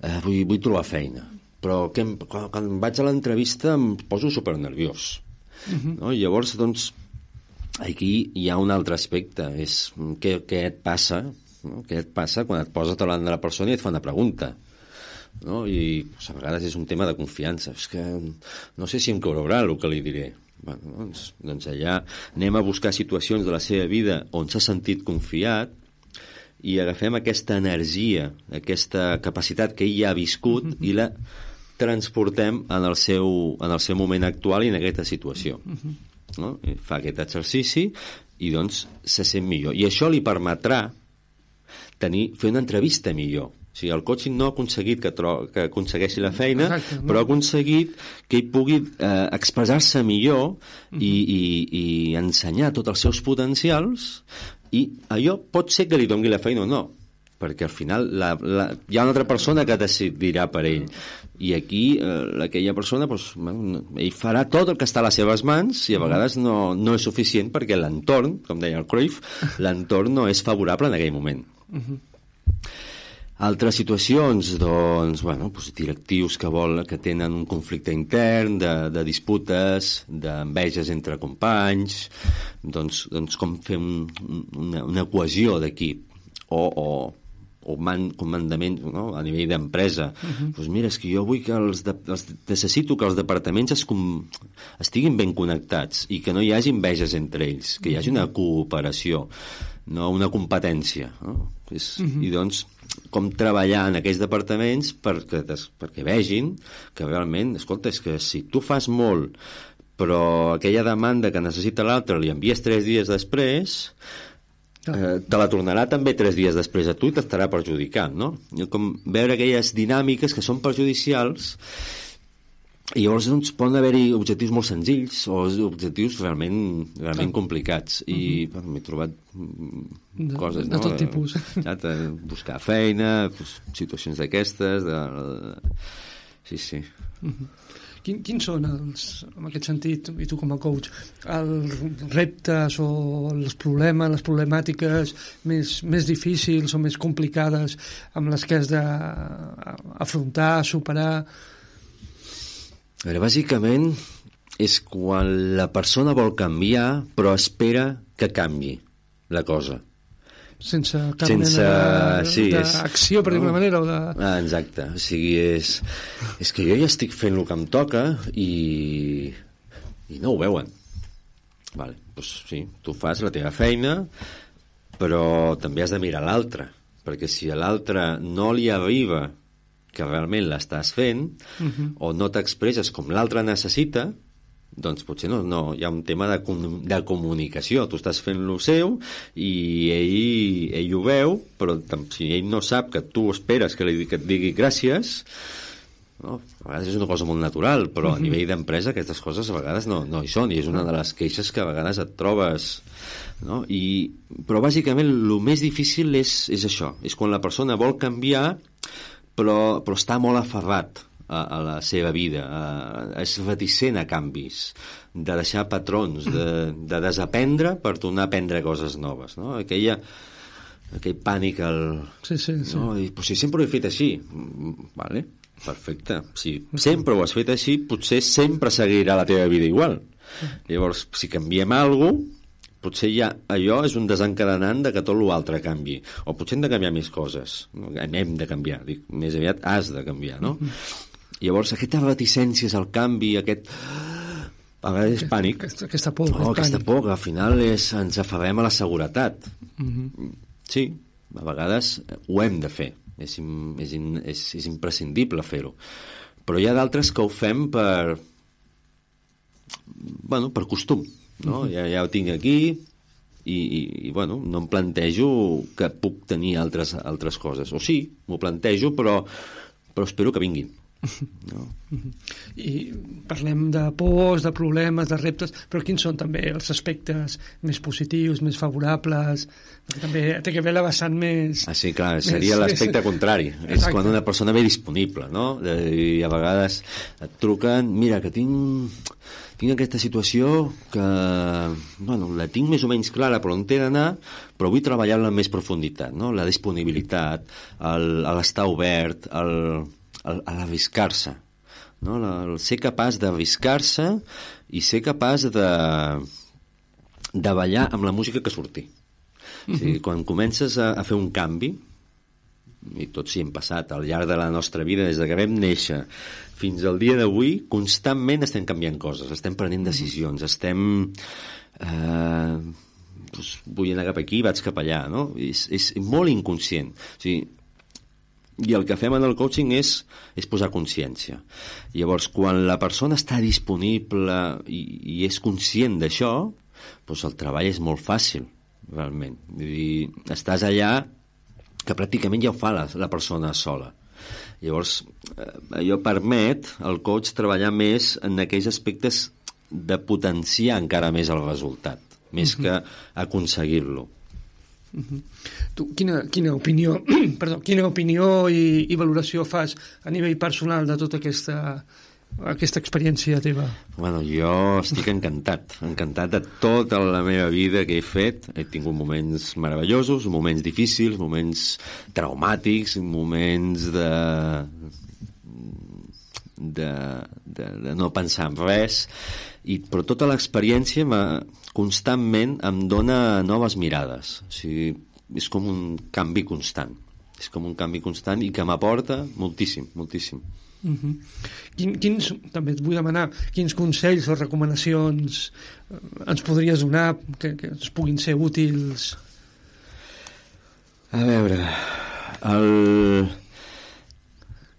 eh, vull, vull trobar feina, però que em, quan, quan vaig a l'entrevista em poso supernerviós. Uh-huh. No? I llavors, doncs, aquí hi ha un altre aspecte, és què, què et passa, no? Què et passa quan et poses davant de la persona i et fa una pregunta. No? I doncs, a vegades és un tema de confiança, és que no sé si em caurà el que li diré. Bueno, doncs, doncs allà anem a buscar situacions de la seva vida on s'ha sentit confiat i agafem aquesta energia, aquesta capacitat que ell ja ha viscut uh-huh. i la transportem en el seu, en el seu moment actual i en aquesta situació. Uh-huh. No? I fa aquest exercici i doncs se sent millor. I això li permetrà tenir, fer una entrevista millor. O sigui, el coaching no ha aconseguit que, tro que aconsegueixi la feina, exacte, no? Però ha aconseguit que ell pugui eh, expressar-se millor uh-huh. i, i, i ensenyar tots els seus potencials, i allò pot ser que li doni la feina o no, perquè al final la, la, hi ha una altra persona que decidirà per ell, i aquí eh, aquella persona doncs, ell farà tot el que està a les seves mans i a vegades no, no és suficient perquè l'entorn, com deia el Cruyff, l'entorn no és favorable en aquell moment. Uh-huh. Altres situacions, doncs, bueno, doncs directius que, vol, que tenen un conflicte intern, de, de disputes, d'enveges entre companys, doncs, doncs com fer un, una, una cohesió d'equip, o, o, o man, comandament, no? A nivell d'empresa. Uh-huh. Doncs mira, és que jo vull que els, de, els necessito que els departaments es com, estiguin ben connectats i que no hi hagi enveges entre ells, que hi hagi una cooperació, no una competència, no? És, uh-huh. I doncs com treballar en aquells departaments perquè, perquè vegin que realment, escolta, és que si tu fas molt però aquella demanda que necessita l'altre li envies tres dies després, eh, te la tornarà també tres dies després a tu i t'estarà perjudicant, no? Com veure aquelles dinàmiques que són perjudicials. I llavors doncs, poden haver-hi objectius molt senzills o objectius realment, realment complicats i uh-huh. bueno, m'he trobat de, coses de no? tot tipus, de buscar feina, pues, situacions d'aquestes de, de... sí, sí uh-huh. Quin, quins són els, en aquest sentit, i tu com a coach, els reptes o els problemes, les problemàtiques més, més difícils o més complicades amb les que has d'afrontar, superar? A veure, bàsicament és quan la persona vol canviar però espera que canvi la cosa. Sense cap Sense... mena sí, d'acció, per dir-ho d'una manera, o de... Ah, exacte. O sigui, és, és que jo ja estic fent el que em toca i, i no ho veuen. Vale, doncs sí, tu fas la teva feina, però també has de mirar l'altre, perquè si a l'altre no li arriba que realment l'estàs fent, uh-huh. o no t'expresses com l'altre necessita, doncs potser no, no, hi ha un tema de, de comunicació. Tu estàs fent lo seu i ell, ell ho veu, però si ell no sap que tu esperes que, li, que et digui gràcies, no? A vegades és una cosa molt natural, però uh-huh. a nivell d'empresa aquestes coses a vegades no, no hi són, i és una de les queixes que a vegades et trobes, no? I, però bàsicament el més difícil és, és això, és quan la persona vol canviar però, però està molt aferrat a, a la seva vida, a, és reticent a canvis, de deixar patrons, de, de desaprendre per tornar a aprendre coses noves, no? Aquella, aquell pànic al... Sí, sí, sí. No? I, pues, si sempre ho he fet així, vale, perfecte, si sempre ho has fet així, potser sempre seguirà la teva vida igual. Llavors, si canviem alguna cosa, potser ja allò és un desencadenant de que tot l'altre canvi, o potser hem de canviar més coses, no? Hem de canviar, dic, més aviat has de canviar, no? Mm-hmm. Llavors aquestes reticències al canvi, aquest a vegades és pànic, aquesta, aquesta por, oh, aquesta por que al final és, ens aferrem a la seguretat. Mm-hmm. Sí, a vegades ho hem de fer, és, és, és, és imprescindible fer-ho, però hi ha d'altres que ho fem per bueno, per costum, no? Uh-huh. ja, ja ho tinc aquí i, i, i bueno, no em plantejo que puc tenir altres, altres coses, o sí, m'ho plantejo però, però espero que vinguin, no? Uh-huh. I parlem de pors, de problemes, de reptes, però quins són també els aspectes més positius, més favorables, perquè també té que ver la vessant més... Ah, sí, clar, seria l'aspecte contrari. És quan una persona ve disponible, no? I a vegades et truquen, mira, que tinc... tinc aquesta situació que, bueno, la tinc més o menys clara per on t'he d'anar, però vull treballar-la amb més profunditat, no? La disponibilitat, l'estar obert, el, el, l'arriscar-se, no? El ser capaç d'arriscar-se i ser capaç de, de ballar amb la música que surti. Mm-hmm. O sigui, quan comences a, a fer un canvi, i tots hi hem passat al llarg de la nostra vida, des que vam néixer fins al dia d'avui, constantment estem canviant coses, estem prenent decisions, estem eh, doncs vull anar cap aquí, vaig cap allà, no? És, és molt inconscient, o sigui, i el que fem en el coaching és, és posar consciència. Llavors, quan la persona està disponible i, i és conscient d'això, doncs el treball és molt fàcil, realment. Vull dir, estàs allà que pràcticament ja ho fa la, la persona sola. Llavors, eh, allò permet al coach treballar més en aquells aspectes de potenciar encara més el resultat, més uh-huh. que aconseguir-lo. Uh-huh. Tu, quina, quina opinió, perdó, quina opinió i, i valoració fas a nivell personal de tota aquesta, aquesta experiència teva? Bueno, jo estic encantat, encantat de tota la meva vida que he fet. He tingut moments meravellosos, moments difícils, moments traumàtics, moments de, de, de, de no pensar en res, i, però tota l'experiència constantment em dona noves mirades. O sigui, és com un canvi constant. És com un canvi constant i que m'aporta moltíssim, moltíssim. Uh-huh. Quin, quins, també et vull demanar quins consells o recomanacions ens podries donar que, que ens puguin ser útils? A veure, el...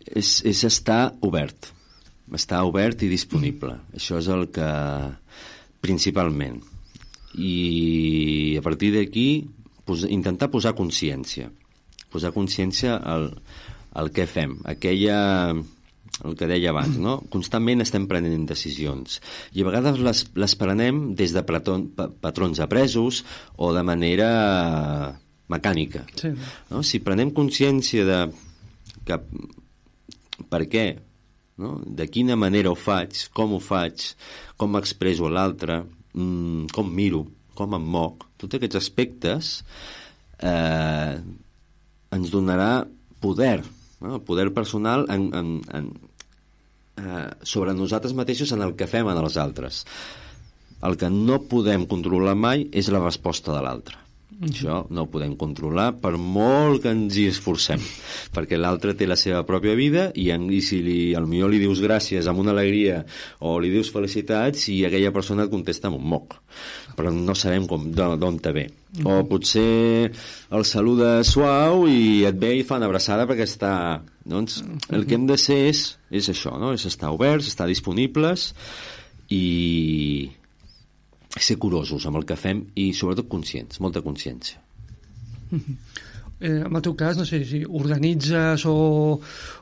és, és estar obert. Estar obert i disponible. Mm. Això és el que... principalment. I a partir d'aquí pos... intentar posar consciència. Posar consciència al, al que fem. Aquella... el que deia abans, no? Constantment estem prenent decisions i a vegades les, les prenem des de patrons, patrons apresos o de manera mecànica. Sí. No? Si prenem consciència de que, per què, no? De quina manera ho faig, com ho faig, com m'expresso a l'altre, mmm, com miro, com em moc, tots aquests aspectes eh, ens donarà poder, no? Poder personal en, en, en, eh, sobre nosaltres mateixos en el que fem en els altres. El que no podem controlar mai és la resposta de l'altre. Mm-hmm. Això no ho podem controlar per molt que ens hi esforcem, perquè l'altre té la seva pròpia vida i, en, i si li, potser li dius gràcies amb una alegria o li dius felicitats i aquella persona et contesta amb un moc, però no sabem d'on te ve. Mm-hmm. O potser el saluda suau i et ve i fa una abraçada perquè està... Doncs el que hem de ser és, és això, no? És estar oberts, estar disponibles i ser curosos amb el que fem i sobretot conscients, molta consciència. Eh, en el teu cas, no sé si organitzes o,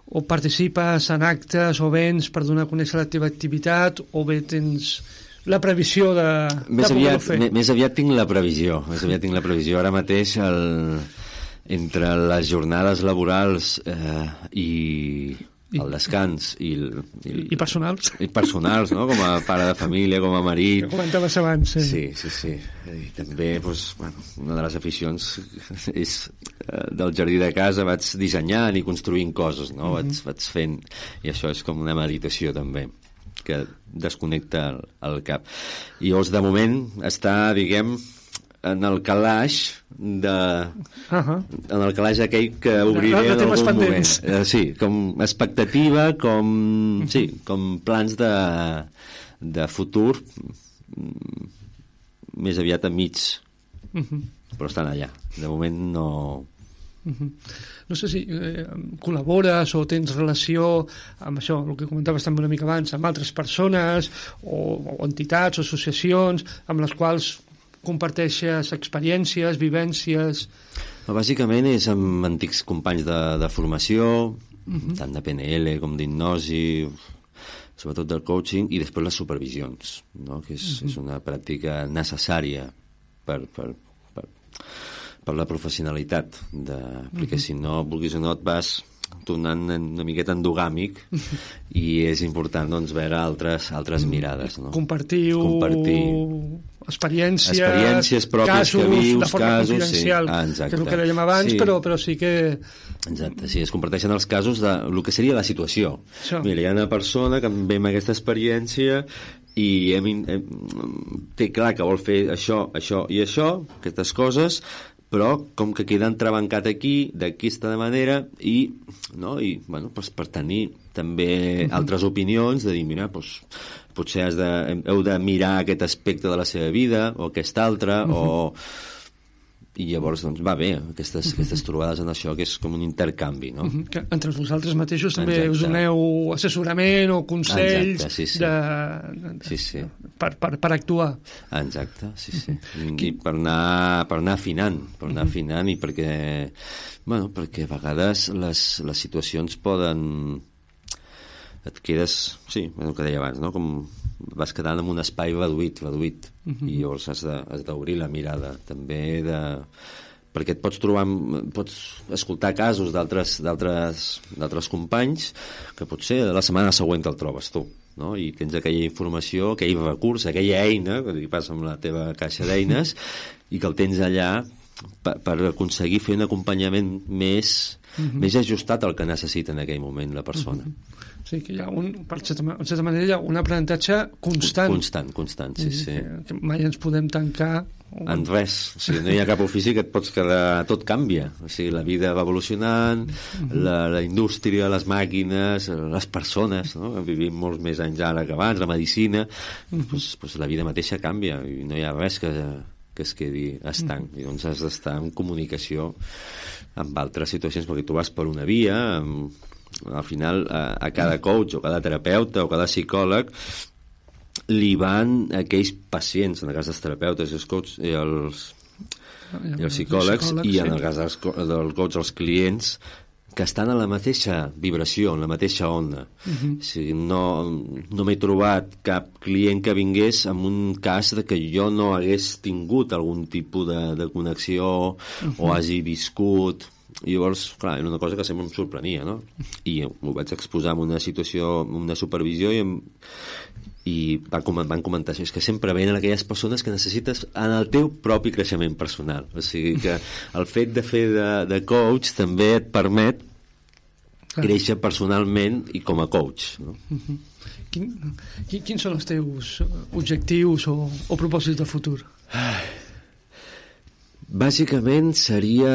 o participes en actes o events per donar a conèixer la teva activitat o bé tens la previsió de, més de aviat, poder-ho fer? Més aviat tinc la previsió, més aviat tinc la previsió. Ara mateix el, entre les jornades laborals eh, i I, el descans i, el, i, el, i personals i personals, no? Com a pare de família, com a marit, que comentaves abans, sí. Sí, sí, sí. I també, doncs, bueno, una de les aficions és eh, del jardí de casa vaig dissenyant i construint coses, no? Mm-hmm. vaig, vaig fent, i això és com una meditació també que desconnecta el, el cap. I llavors, de moment, està, diguem, en el calaix de... Uh-huh. En el calaix aquell que obriré en algun moment. Eh, sí, com expectativa, com... Uh-huh. Sí, com plans de, de futur més aviat a mig. Uh-huh. Però estan allà. De moment no... Uh-huh. No sé si eh, col·labores o tens relació amb això, el que comentaves també una mica abans, amb altres persones o, o entitats o associacions amb les quals comparteixes experiències, vivències... Bàsicament és amb antics companys de, de formació, uh-huh. tant de P N L com d'hipnosi, sobretot del coaching, i després les supervisions, no? Que és, uh-huh. és una pràctica necessària per, per, per, per la professionalitat, de, perquè uh-huh. si no, vulguis o no, et vas tornant una miqueta endogàmic i és important, doncs, veure altres, altres mirades, no? Compartiu, Compartir experiències, experiències pròpies casos, que vius, de forma casos, confidencial, sí. Ah, exacte. Que és el que dèiem abans, sí. però, però sí que... Exacte, sí, es comparteixen els casos de el que seria la situació. Això. Mira, hi ha una persona que ve amb aquesta experiència i hem, hem, té clar que vol fer això, això i això, aquestes coses, però com que queda entrebancat aquí, d'aquesta manera, i, no, i bueno, pues per tenir també uh-huh. altres opinions, de dir, mira, pues, potser has de, heu de mirar aquest aspecte de la seva vida, o aquest altre, uh-huh. o... I llavors, doncs, va bé, aquestes, uh-huh. aquestes trobades en això, que és com un intercanvi, no? Uh-huh. Que entre vosaltres mateixos també Exacte. us doneu assessorament o consells Exacte, sí, sí. De, de, sí, sí. Per, per, per actuar. Exacte, sí, sí. I per anar, per anar afinant, per anar uh-huh. afinant i perquè, bueno, perquè a vegades les, les situacions poden... Et quedes, sí, el que deia abans, no? Com vas quedant en un espai reduït, reduït, uh-huh. i llavors has de, has d'obrir la mirada, també de... perquè et pots trobar, pots escoltar casos d'altres, d'altres, d'altres companys que potser la setmana següent te'l trobes tu, no? I tens aquella informació, aquell recurs, aquella eina, que passa amb la teva caixa d'eines, i que el tens allà per, per aconseguir fer un acompanyament més, uh-huh. més ajustat al que necessita en aquell moment la persona. Uh-huh. Sí, que hi ha un, per certa, en certa manera hi ha un aprenentatge constant. Constant, constant, sí, sí. Que, que mai ens podem tancar... En res, o sigui, no hi ha cap ofici que et pots quedar... Tot canvia, o sigui, la vida va evolucionant, uh-huh. la, la indústria, les màquines, les persones, no? Vivim molts més anys ara que abans, la medicina, uh-huh. pues, pues la vida mateixa canvia i no hi ha res que, que es quedi estanc. Mm. I doncs has d'estar en comunicació amb altres situacions, perquè tu vas per una via, amb, al final a, a cada coach o cada terapeuta o cada psicòleg li van aquells pacients, en el cas dels terapeutes i els coaches i els, i els psicòlegs, i en el cas dels, dels coaches els clients, que estan a la mateixa vibració, en la mateixa onda. Uh-huh. O sigui, no, no m'he trobat cap client que vingués amb un cas de que jo no hagués tingut algun tipus de, de connexió uh-huh. o hagi viscut. I llavors, clar, era una cosa que sempre em sorprenia, no? I m'ho vaig exposar en una situació, en una supervisió, i, em, i van, van comentar això, és que sempre venen aquelles persones que necessites en el teu propi creixement personal. O sigui que el fet de fer de, de coach també et permet créixer personalment i com a coach, no? Uh-huh. Quin, quin, quins són els teus objectius o, o propòsits de futur? Bàsicament seria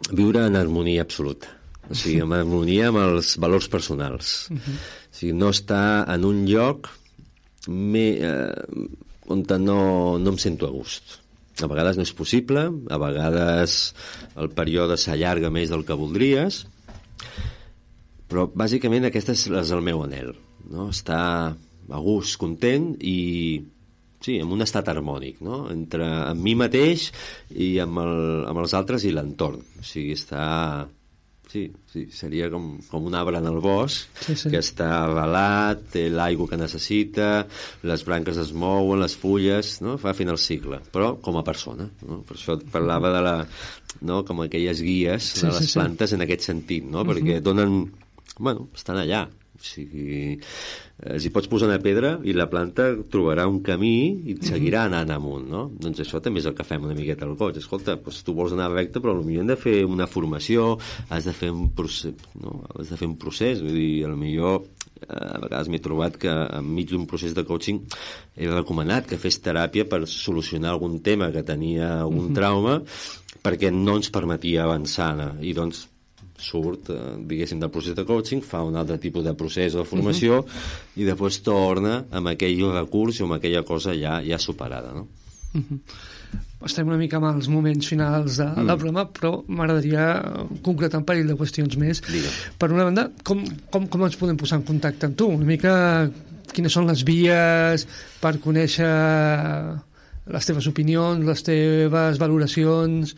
viure en harmonia absoluta, o sigui, en harmonia amb els valors personals. Uh-huh. O sigui, no estar en un lloc me, eh, on no, no em sento a gust. A vegades no és possible, a vegades el període s'allarga més del que voldries, però bàsicament aquest és, és el meu anhel, no? Estar a gust, content i sí, en un estat harmònic, no? Entre amb mi mateix i amb, el, amb els altres i l'entorn. O sigui, estar... Sí, sí, seria com, com un arbre en el bosc, sí, sí. que està avalat, té l'aigua que necessita, les branques es mouen, les fulles, no? Fa fin el cicle, però com a persona, no? Per això et parlava de la, no? Com aquelles guies sí, de les sí, plantes sí. en aquest sentit, no? Perquè uh-huh. donen, bueno, estan allà, o sigui, eh, si pots posar una pedra i la planta trobarà un camí i et seguirà anant amunt, no? Doncs això també és el que fem una miqueta al coach. Escolta, doncs tu vols anar recte, però potser hem de fer una formació, has de fer un procés, no? Has de fer un procés, vull dir, potser eh, a vegades m'he trobat que enmig d'un procés de coaching he recomanat que fes teràpia per solucionar algun tema que tenia algun uh-huh. trauma, perquè no ens permetia avançar, i doncs surt, eh, diguéssim, del procés de coaching, fa un altre tipus de procés o de formació uh-huh. i després torna amb aquell recurs o amb aquella cosa ja, ja superada, no? Uh-huh. Estem una mica amb els moments finals de, mm. del programa, però m'agradaria concretar un parell de qüestions més. Digue. Per una banda, com, com, com ens podem posar en contacte amb tu? Una mica quines són les vies per conèixer les teves opinions, les teves valoracions...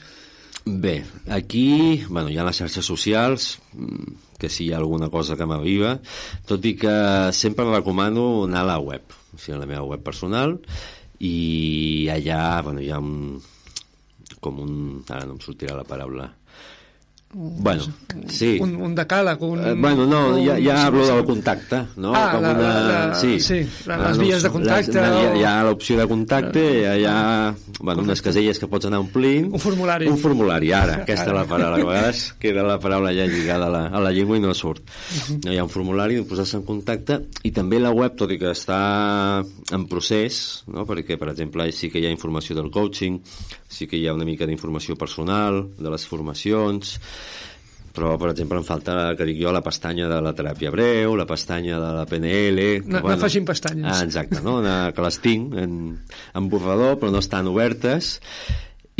Bé, aquí, bueno, hi ha les xarxes socials, que si hi ha alguna cosa que m'aviva, tot i que sempre recomano anar a la web, o sigui, a la meva web personal, i allà, bueno, hi ha un... com un... ara no em sortirà la paraula... Bueno, sí. Un, un decàleg, un... Eh, bueno, no, ja, ja hablo del contacte, no? Ah, com la, una... la, sí, sí la, les vies de contacte. Les, o... Hi ha, ha l'opció de contacte, hi ha, hi ha bueno, unes caselles que pots anar omplint. Un formulari. Un formulari, ara, aquesta és la paraula. A vegades queda la paraula ja lligada a la, a la llengua i no surt. Uh-huh. No, hi ha un formulari, posar-se en contacte, i també la web, tot i que està en procés, no? Perquè, per exemple, sí que hi ha informació del coaching, sí que hi ha una mica d'informació personal, de les formacions, però, per exemple, em falta, que dic jo, la pestanya de la teràpia breu, la pestanya de la P N L... Que, no, bueno, no facin pestanyes. Ah, exacte, no? Una, que les tinc en, en borrador, però no estan obertes.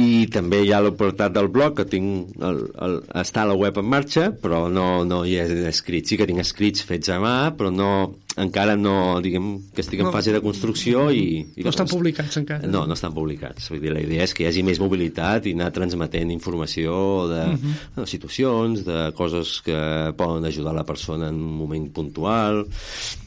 I també hi ha l'oportunitat del blog, que tinc el, el, està a la web en marxa, però no, no hi he escrit. Sí que tinc escrits fets a mà, però no, encara no, diguem, que estic en no, fase de construcció i... i no estan publicats encara. No, no estan publicats. Vull dir, la idea és que hi hagi més mobilitat i anar transmetent informació de uh-huh. no, situacions, de coses que poden ajudar la persona en un moment puntual...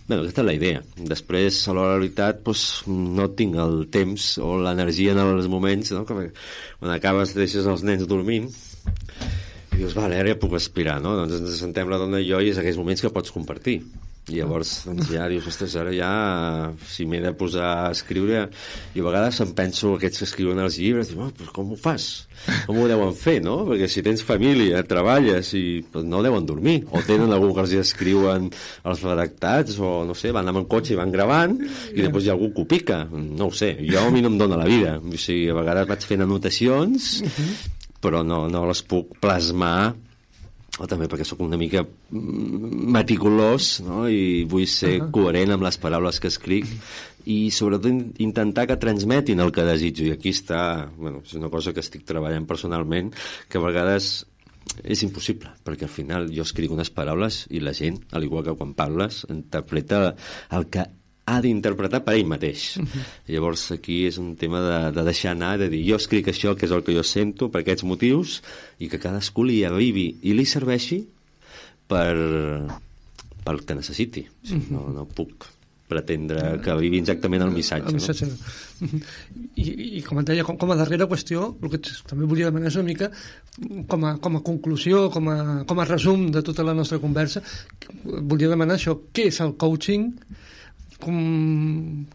Bé, aquesta és la idea. Després, a la realitat, doncs, no tinc el temps o l'energia en els moments, no? Que quan acabes deixes els nens dormint i dius, vale, ara ja puc aspirar, no? Doncs ens sentem la dona i jo i és aquells moments que pots compartir. I llavors doncs, ja dius, ostres, ara ja si m'he de posar a escriure, i a vegades em penso aquests que escriuen els llibres, dius, oh, però com ho fas? Com ho deuen fer, no? Perquè si tens família, treballes i doncs, no deuen dormir, o tenen algú que els escriuen els redactats, o no sé, van amb el cotxe i van gravant i després hi ha algú que ho pica, no ho sé, jo a mi no em dóna la vida, o sigui, a vegades vaig fent anotacions però no, no les puc plasmar, o també perquè sóc una mica meticulós, no? I vull ser uh-huh. coherent amb les paraules que escric i sobretot in intentar que transmetin el que desitjo, i aquí està, bueno, és una cosa que estic treballant personalment, que a vegades és impossible, perquè al final jo escric unes paraules i la gent, al igual que quan parles, interpreta el que ha d'interpretar per ell mateix. Uh-huh. Llavors aquí és un tema de, de deixar anar, de dir jo escric això, que és el que jo sento per aquests motius, i que cadascú li arribi i li serveixi per, pel que necessiti. O sigui, no, no puc pretendre que arribi exactament el missatge. El missatge. No? I, I com et deia, com, com a darrera qüestió, el que també volia demanar és una mica com a, com a conclusió, com a, com a resum de tota la nostra conversa, volia demanar això, què és el coaching, com,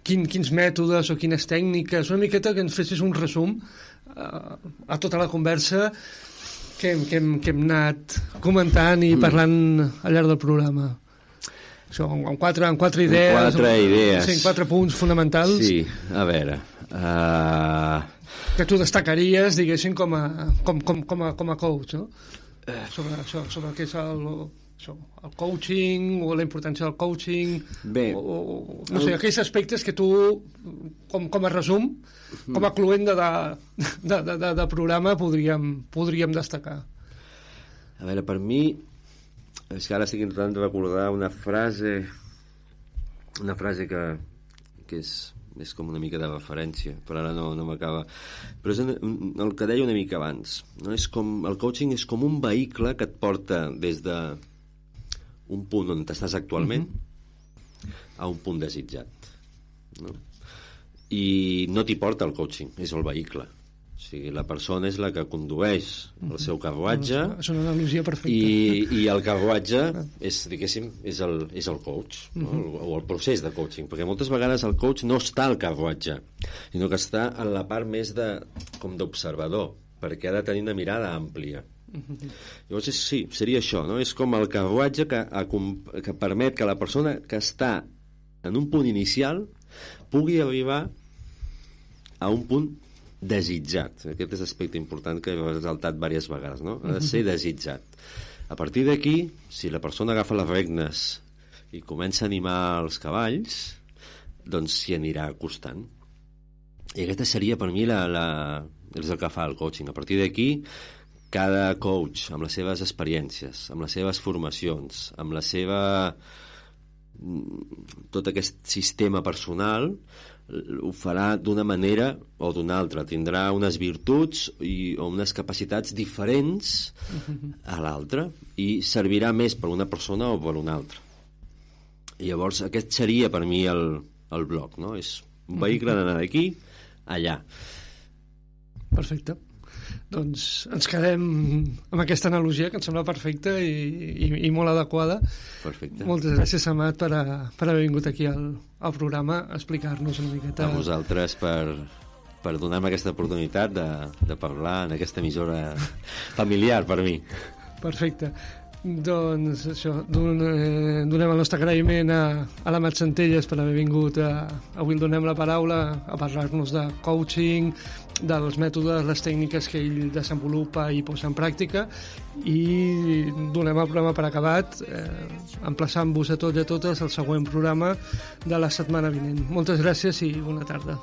quin, quins mètodes o quines tècniques, una miqueta que ens fessis un resum a, a tota la conversa que, que, hem, que hem anat comentant i parlant al llarg del programa. Això, amb quatre, amb quatre idees, amb quatre idees. Sí, quatre punts fonamentals. Sí, a veure... Uh... Que tu destacaries, diguéssim, com a, com, com, com a, com a coach, no? Sobre això, sobre què és el, això, el coaching, o la importància del coaching... Bé... O, o, no sé, el... aquells aspectes que tu, com, com a resum, com a cluent de, de, de, de, de programa, podríem, podríem destacar. A veure, per mi... És que ara estic intentant recordar una frase una frase que, que és, és com una mica de referència, però ara no, no m'acaba. Però és el que deia una mica abans, no? És com, el coaching és com un vehicle que et porta des de un punt on estàs actualment uh-huh. a un punt desitjat, no? I no t'hi porta el coaching, és el vehicle. O sigui, la persona és la que condueix el seu carruatge, és una analogia perfecta, i, i el carruatge és, diguéssim, és el, és el coach, no? uh-huh. o el procés de coaching, perquè moltes vegades el coach no està al carruatge, sinó que està en la part més de, com d'observador, perquè ha de tenir una mirada àmplia. Uh-huh. Llavors és, sí, seria això, no? És com el carruatge que, que permet que la persona que està en un punt inicial pugui arribar a un punt desitjat. Aquest és l'aspecte important que he resaltat diverses vegades, no? Ha de ser desitjat. A partir d'aquí, si la persona agafa les regnes i comença a animar els cavalls, doncs s'hi anirà acostant. I aquesta seria per mi la, la... és el que fa el coaching. A partir d'aquí, cada coach, amb les seves experiències, amb les seves formacions, amb la seva... tot aquest sistema personal, ho farà d'una manera o d'una altra, tindrà unes virtuts i, o unes capacitats diferents a l'altra, i servirà més per una persona o per una altra. I llavors aquest seria per mi el, el bloc, no? És un vehicle d'anar d'aquí allà. Perfecte. Doncs ens quedem amb aquesta analogia que em sembla perfecta i, i, i molt adequada. Perfecte. Moltes gràcies, Amat, per, a, per haver vingut aquí al, al programa a explicar-nos una miqueta. A vosaltres per, per donar-me aquesta oportunitat de, de parlar en aquesta emissora familiar per mi. Perfecte. Doncs això, don, eh, donem el nostre agraïment a, a l'Amat Centelles per haver vingut. A, avui el donem la paraula a parlar-nos de coaching, dels mètodes, les tècniques que ell desenvolupa i posa en pràctica, i donem el programa per acabat, eh, emplaçant-vos a tots i a totes al següent programa de la setmana vinent. Moltes gràcies i bona tarda.